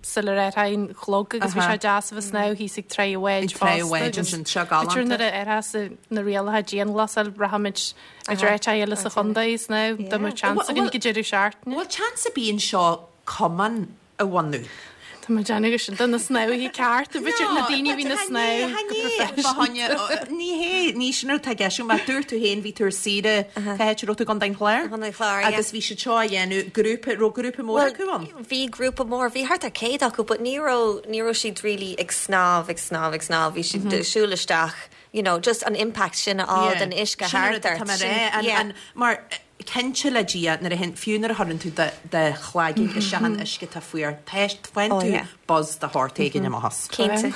sular athraigh an clog agus bhí sé deas a bheith ag snámh thíos ag Tráigh an Bháid fosta agus b'fhéidir nuair a athrós na rialacha dianghlasáil rachaimid Idir áit eile sa chontae is now, dá mbeadh chance againn go deireadh seachtaine. Bhfuil chance ar bith anseo cumann a bhunú? Tá mé ag déanamh gur sin do na snámhaithe ceart, b'fhéidir na daoine a bhíonn ag snámh go proifisiúnta. Ní hé, ní sin rud atá i gceist agam, ach dúirt tú féin, bhí tú ar saoire, cá háit a raibh tú, i gContae an Chláir? Contae an Chláir, yeah. Agus bhí siad seo á dhéanamh, grúpa, raibh grúpa mór acu ann? Bhí grúpa mór, bhí thart ar 100 acu, but ní raibh, ní raibh siad really ag snámh, ag snámh, ag snámh, bhí siad ag siúl isteach, you know, just an impact sin a fháil den uisce thart ort. Sin, yeah. Mar cinnte le Dia, nuair a théann, fiú nuair a chuireann tú do chlaigín isteach in uisce atá fuar, faigheann tú buzz de shórt éigin amach as. Cinnte.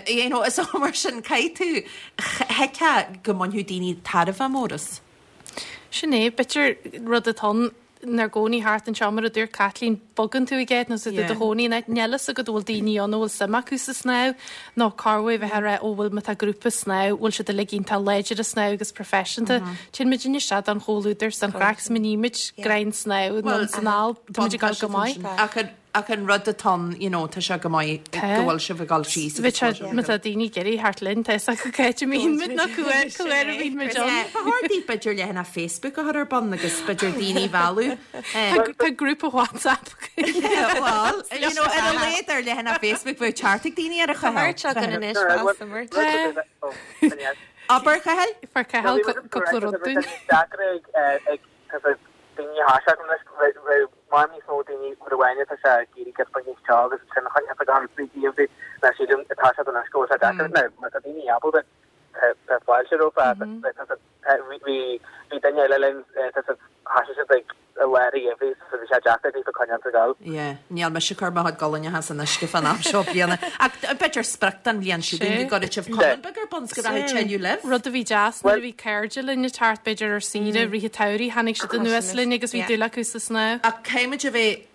You know, so mar sin, caithfidh tú, thuigfeá go mbainfeadh daoine tairbhe mór as. Sin é, b'fhéidir rud atá ann inár gcónaí thart anseo, mar a dúirt Caitlín, bogann tú ag áit nó tá tú i do chónaí in áit, níl a fhios agat an bhfuil daoine ann a bhfuil suim acu sa snámh nó cá bhfuil bheith ag rá ó bhfuil má tá grúpa snámh, bhfuil siad uilig iontach láidir ag snámh agus proifisiúnta. Téann muid isteach don chomhluadar 's don chraic 's má nímid greim snámh anonn 's anall, tá muid ag dul go maith. Ach Ach an rud atá ann, you know, tá sé go maith go bhfuil sibh ag dul síos agus go bhfuil sibh. Má tá daoine ag iarraidh theacht linn, tá fhios acu cá háit a mbíonn muid nó cá huair a bhíonn muid ann. Ba chóir daoibh b'fhéidir leathanach Facebook a chur ar bun agus b'fhéidir daoine a mhealladh. Tá grúpa WhatsApp againn. Bhuel, you know, ar a laghad ar leathanach Facebook bheadh teacht ag daoine ar a Tá merch againn anois fosta, merch. Abair, Cathal? Fuair Cathal cúpla rud dúinn. Daoine a thaispeáint anois raibh mar níos mó daoine rud amháin atá sé ag iarraidh giota beag níos teo agus sin a choinneáil ag an bpríomh ná sílim atá sé anois go bhfuil sé deacair now má tá daoine ábalta tá fáilte rompu bhí bhí duine eile linn tá siad thoisigh siad ag i lár an gheimhridh so bhí sé deacair daofa coinneáil ag dul. Yeah, níl mise ag cur mo chuid gualainne san uisce fán am seo bliana. Ach b'fhéidir sprioc don bhliain seo chugainn go gcuirfidh sibh cumann beag ar bun 's go rachaidh tuilleadh libh. Rud a bhí deas nuair a bhí cairde linn ag teacht b'fhéidir ar saoire i rith an tsamhraidh, tháinig siad anuas linn agus bhí dúil acu sa snámh. Ach caithfimid a bheith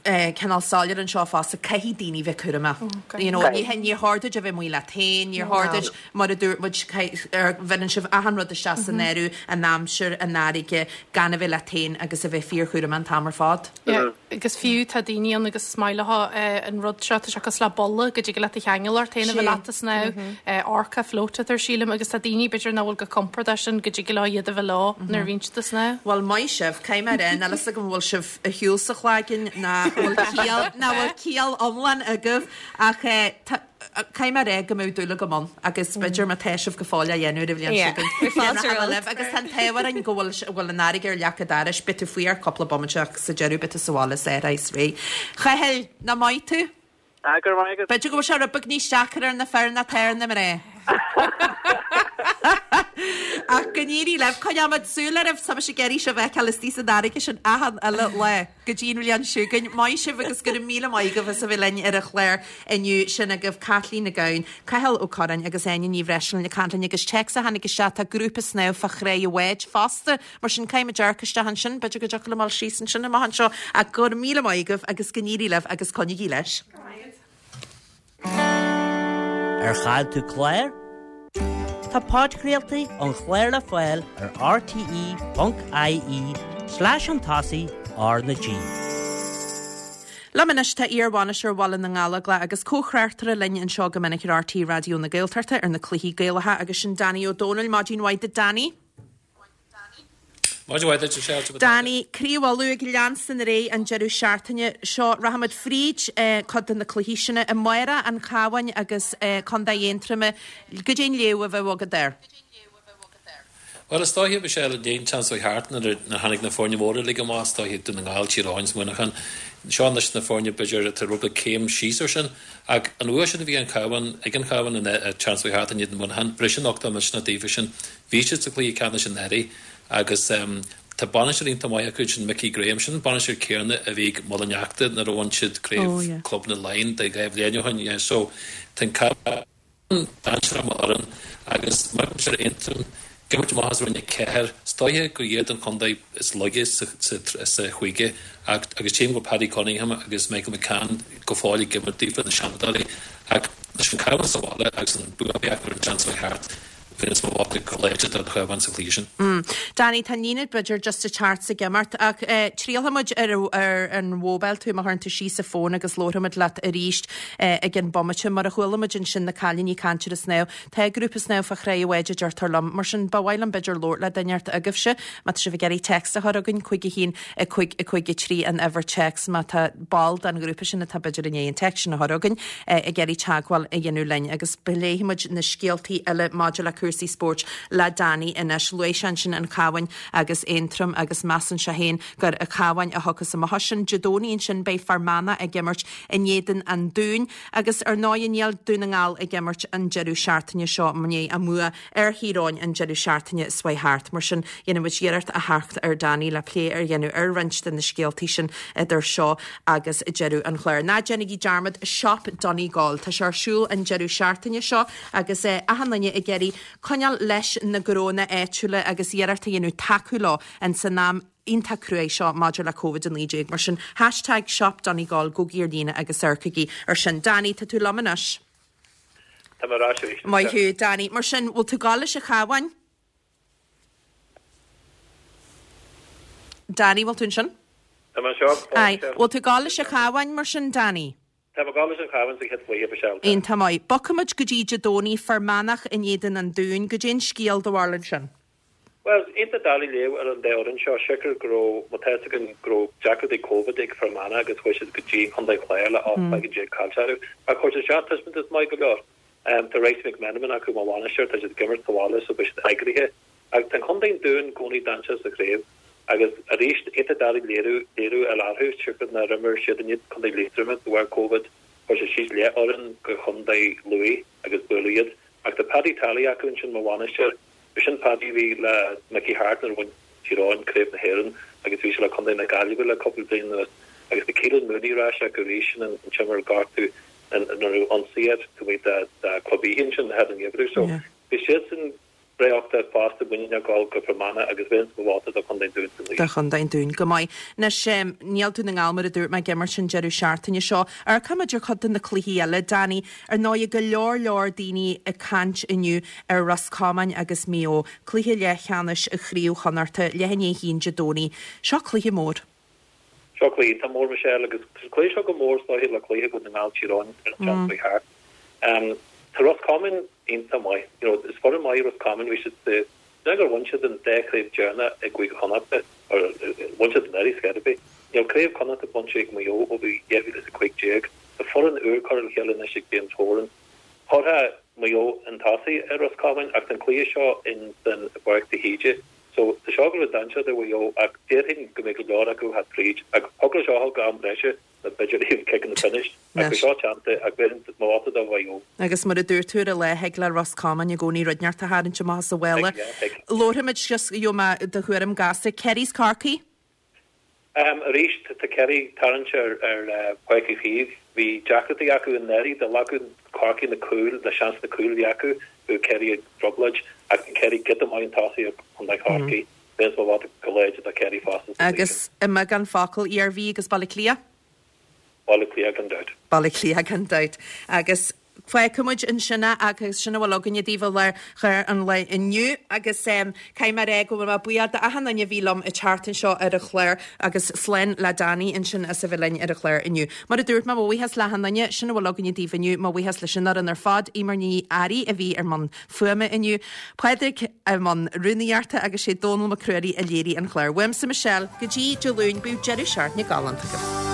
cineál soiléir anseo fosta, caithfidh daoine bheith cúramach. You know, ní níor chóir duit a bheith amuigh leat féin, níor chóir duit, mar a dúirt muid, bheireann sibh achan rud isteach san áireamh, an aimsir, an fharraige, gan a bheith leat féin agus a bheith fíorchúramach an t-am ar fad. Yeah, agus fiú tá daoine ann agus is maith leo an rud seo, tá sé cosúil le bolla go dtig leat a cheangal ort féin a bheith leat ag snámh, orca float atá air sílim, agus tá daoine b'fhéidir nach bhfuil go compordach sin go dtig leo iad a bheith leo nuair a bhíonn siad ag snámh. Bhuel, maith sibh, caithfidh mé a rá, níl fhios agam an bhfuil sibh ar shiúl sa chlaigeann ná bhfuil ciall, ná bhfuil ciall iomlán agaibh ach tá, caithfidh mé a rá go mbeadh dúil agam ann agus b'fhéidir má tá sibh go fóill á dhéanamh ar an bhliain seo chugainn. Fáilte romhat. Agus tá an t-ádh orainn go bhfuil, bhfuil an fharraige ar leac an dorais, beidh tú faoi ar cúpla bomaite ach sa deireadh beidh tú sa bhaile is ar is réidh. Chathail, nach maith tú? Ah, go raibh maith agat. B'fhéidir go bhfuil sé rud beag níos deacair ar na fir ná atá ar na mná. Ach go n-éirí libh, coinneoimid súil oraibh, tá mise ag iarraidh sibh a fheiceáil istigh san fharraige sin achan uile lá go dtí an bhliain seo chugainn. Maith sibh agus go raibh míle maith agaibh as a bheith linn ar an chlár inniu. Sin agaibh Caitlín Nic Gabhann, Cathal Ó Curráin agus Áine Ní Bhreisleáin ag caint linn agus téacs a tháinig isteach, tá grúpa snámh fá Thráigh an Bháid fosta, mar sin caithfimid amharc isteach ansin, b'fhéidir go dtiocfadh liom dul síos ansin amach anseo ach go raibh míle maith agaibh agus go n-éirí libh agus coinnígí leis. Ar chaill tú clár? Tá podchraoltaí an chláir le fáil ar rte.ie slash an tosaigh R na G. Liom anois tá iar-bhainisteoir Bhaile na nGallóglach agus comh-thráchtaire linn anseo go minic ar RTÉ Raidió na Gaeltachta ar na cluichí Gaelacha agus sin Danny Ó Dónaill. Maidin mhaith duit Danny. Maidin mhaith duit, Michelle. Danny, Craobh Uladh ag leanstan ar aghaidh an deireadh seachtaine seo. Rachaimid fríd cuid de na cluichí sin. Amárach, an Cabhán agus Contae Aontroma. Goidé an léamh a bheadh agat air? Bhuel, is dóiche, Michelle, i ndiaidh an tseachtain seo thart nuair a tháinig na foirne móra uilig amach, is dóiche Dún na nGall, Tír Eoghain is Muineachán, seo anois na foirne b'fhéidir atá rud beag céim síos air sin. Ach an bhua sin a bhí an Cabhán, ag an Chabhán an tseachtain seo thart in éadan Mhuineacháin, briseann uchtach misneach daofa sin. Bhí siad sa chluiche ceannais anuraidh agus tá bainisteoir iontach maith acu, sin Mickey Graham. Sin an bainisteoir céanna a bhí ag Muileann Fheachta nuair a bhain siad craobh clubanna Laighean de 2 bhliain ó shin. So tá an Cabhán dainséarach mar fhoireann agus mar a deir Aontroim. Ag imirt amach as Roinn 4, is dóiche gur iad an chontae is laige sa chúige ach agus tchím go bhfuil Paddy Cunningham agus Michael McCann go fóill ag imirt daofa, na Seanadóirí, ach leis an Cabhán sa bhaile agus an bua a bhí acu ar an tseachtain seo thart, bhéarfainn mo vóta go láidir don Chabhán sa chluiche sin. Danny, tá an líne b'fhéidir just ag teacht 's ag imeacht ach triailfidh muid ar an mhóibíl tú má chuireann tú síos an fón agus labharfaidh muid leat arís i gceann bomaite. Mar a chuala muid ansin na cailíní ag caint ar an snámh, Tá grúpa snámha fá Chraobh an Bháid a deirtear liom. Mar sin, ba mhaith liom b'fhéidir labhairt le duine inteacht agaibhse, má tá sibh ag iarraidh text a chur chugainn, 5 1 5 5 3 an uimhir téacs, má tá ball den ghrúpa sin atá b'fhéidir i ndiaidh an text sin a chur chugainn, ag iarraidh teagmháil a dhéanamh linn. Agus pléifidh muid na scéaltaí eile maidir le cúrsaí spóirt le Danny anois. Luaigh sé ansin an Cabhán agus Aontroim agus measann sé féin gur an Cabhán a thiocfas amach as sin. Dé Domhnaigh ansin beidh Fear Manach ag imirt in éadan an Dúin. Agus ar ndóigh níl Dún na nGall ag imirt an deireadh seachtaine seo i ndiaidh a mbua ar Thír Eoghain an deireadh seachtaine seo thart. Mar sin, dhéanfaidh muid iarracht a theacht ar Danny le plé a dhéanamh ar roinnt de na scéaltaí sin idir seo agus deireadh an chláir. Ná déanaigí dearmad Shop Donegal. Tá sé ar siúl an deireadh seachtaine seo agus achan duine ag iarraidh coinneáil leis na gnónna áitiúla agus iarracht a dhéanamh tacú leo ins an am iontach cruaidh seo maidir le Covid-19. Mar sin, hashtag Shop Donegal, gabhaigí ar líne agus amharcaigí ar sin. Danny, tá tú liom anois. Tá mé ar ais arís. Maith thú, Danny. Mar sin, bhfuil tú ag gabháil leis an Chabhán? Danny, bhfuil tú ansin? Tá mé anseo. Aye. Bhfuil tú ag gabháil leis an Chabhán mar sin, Danny? Tá mé ag gabháil leis an Chabhán sa chéad chluiche, Michelle. Tá. Iontach maith. Bogfaimid go dtí Dé Domhnaigh, Fear Manach in éadan an Dúin. Goidé an scéal do bharúil ansin? Bhuel, iontach doiligh léamh ar an dá fhoireann seo, siocair go raibh, má tá fhios againn, go raibh deacrachtaí Covid ag Fear Manach agus chuaigh siad go dtí an Chontae Chláir le 18 laige caillte orthu. Ach chuir siad isteach taispeántas maith go leor. Tá Réics McMenamin acu mar bhainisteoir, tá siad ag imirt sa bhaile so beidh siad eagraithe. Ach tá an Chontae an Dúin i gcónaí dainséarach sa chraobh agus arís, iontach doiligh léiriú léiriú a fháil orthu, siocair nár imir siad in éadan Contae Liatroma de bharr Covid, chuir siad síos leathfhoireann go Chontae Lú agus buaileadh iad. Ach tá Paddy Tally acu ansin mar bhainisteoir. Sin Paddy a bhí le Mickey Harte nuair a bhain Tír Eoghain Craobh na hÉireann agus bhí sé le Contae na Gaillimhe le cúpla bliain anuas. Agus tá Keelan Mooney ar ais acu arís, sin an t-imreoir a gortaíodh nuair a raibh ionsaí air taobh amuigh de Club Oíche ansin thar an ngeimhreadh. So bhí siadsan breá fosta muiníneach ag dul go Fear Manach agus bhéarfainnse mo vóta do Chontae an Dúin sa Do Chontae an Dúin. Go maith. Anois, níl Dún na nGall, mar a dúirt mé, ag imirt an deireadh seachtaine seo. Amharcfaimid ar chuid de na cluichí eile, Danny. Ar ndóigh, go leor leor daoine ag caint inniu ar Ros Comáin agus Maigh Eo, cluiche leathcheannais Chraobh Chonnachta, leath i ndiaidh a haon Dé Domhnaigh. Seo cluiche mór. Seo cluiche iontach mór, Michelle, agus tá an cluiche seo chomh mór is dóiche le cluiche Dhún na nGall Tír Eoghain ar an tseachtain seo thart. Tá Ros Comáin iontach maith. You know, is foireann maith Ros Comáin, bhí siad sa, ná gur bhain siad an dá chraobh deireanach i gCúige Chonnachta, or bhain siad anuraidh, scor ar bith. Níl craobh Chonnachta bainte ag Maigh Eo ó bhí 2015. Tá foireann úr curtha le chéile anois ag James Horan. Chuirfeadh Maigh Eo chun tosaigh ar Ros Comáin ach tá an cluiche seo in san i bPáirc de hÍde so tá seo ag gabháil a bheith dainséarach do Mhaigh Eo ach déarfainn go mbeidh go leor acu thar tríd ach thig leo seo a dhul go am breise nó b'fhéidir even ciceanna pionóis ach beidh seo teannta ach bhéarfainn mo vóta do Mhaigh Eo. Agus mar a dúirt tú ar an lá thig le Ros Comáin i gcónaí rud inteacht a tharraingt amach as a mhála. Thig, yeah, thig. Labharfaimid just gheobhaidh mé do thuairim gasta. Kerry's Corcaigh? Arís, tá Kerry ag tarraingt ar Pháirc Uí Chaoimh. Bhí deacrachtaí acu anuraidh, do ghlac Corcaigh na cúil, na seansanna cúil a bhí acu, chuaigh Kerry i dtrioblóid ach tá Kerry giota maith chun tosaigh ar Chontae Chorcaí. Bhéarfainnse mo vóta go láidir do Kerry fosta sa chluiche sin. Agus i mbeagán focal, Iarmhí agus Baile Átha Cliath? Baile Átha Cliath gan dabht. Baile Átha Cliath gan dabht. Agus fágfaidh muid ansin é agus sin a bhfuil againne daoibh ar chlár an lae inniu agus caithfidh mé a rá go bhfuil mé buíoch d'achan duine a bhí liom an tseachtain seo ar an chlár agus slán le Danny ansin as a bheith linn ar an chlár inniu. Mar a dúirt mé, mo bhuíochas le achan duine, sin a bhfuil againne daoibh inniu, mo bhuíochas leis an fhoireann ar fad, Eimear Ní Fhearraigh a bhí ar mbun fuaime inniu, Pádraig i mbun rúnaíochta agus sé Dónal Mac Ruairí a léirigh an clár. Uaimse Michelle, go dtí Dé Luain, bíodh deireadh seachtaine galánta agaibh.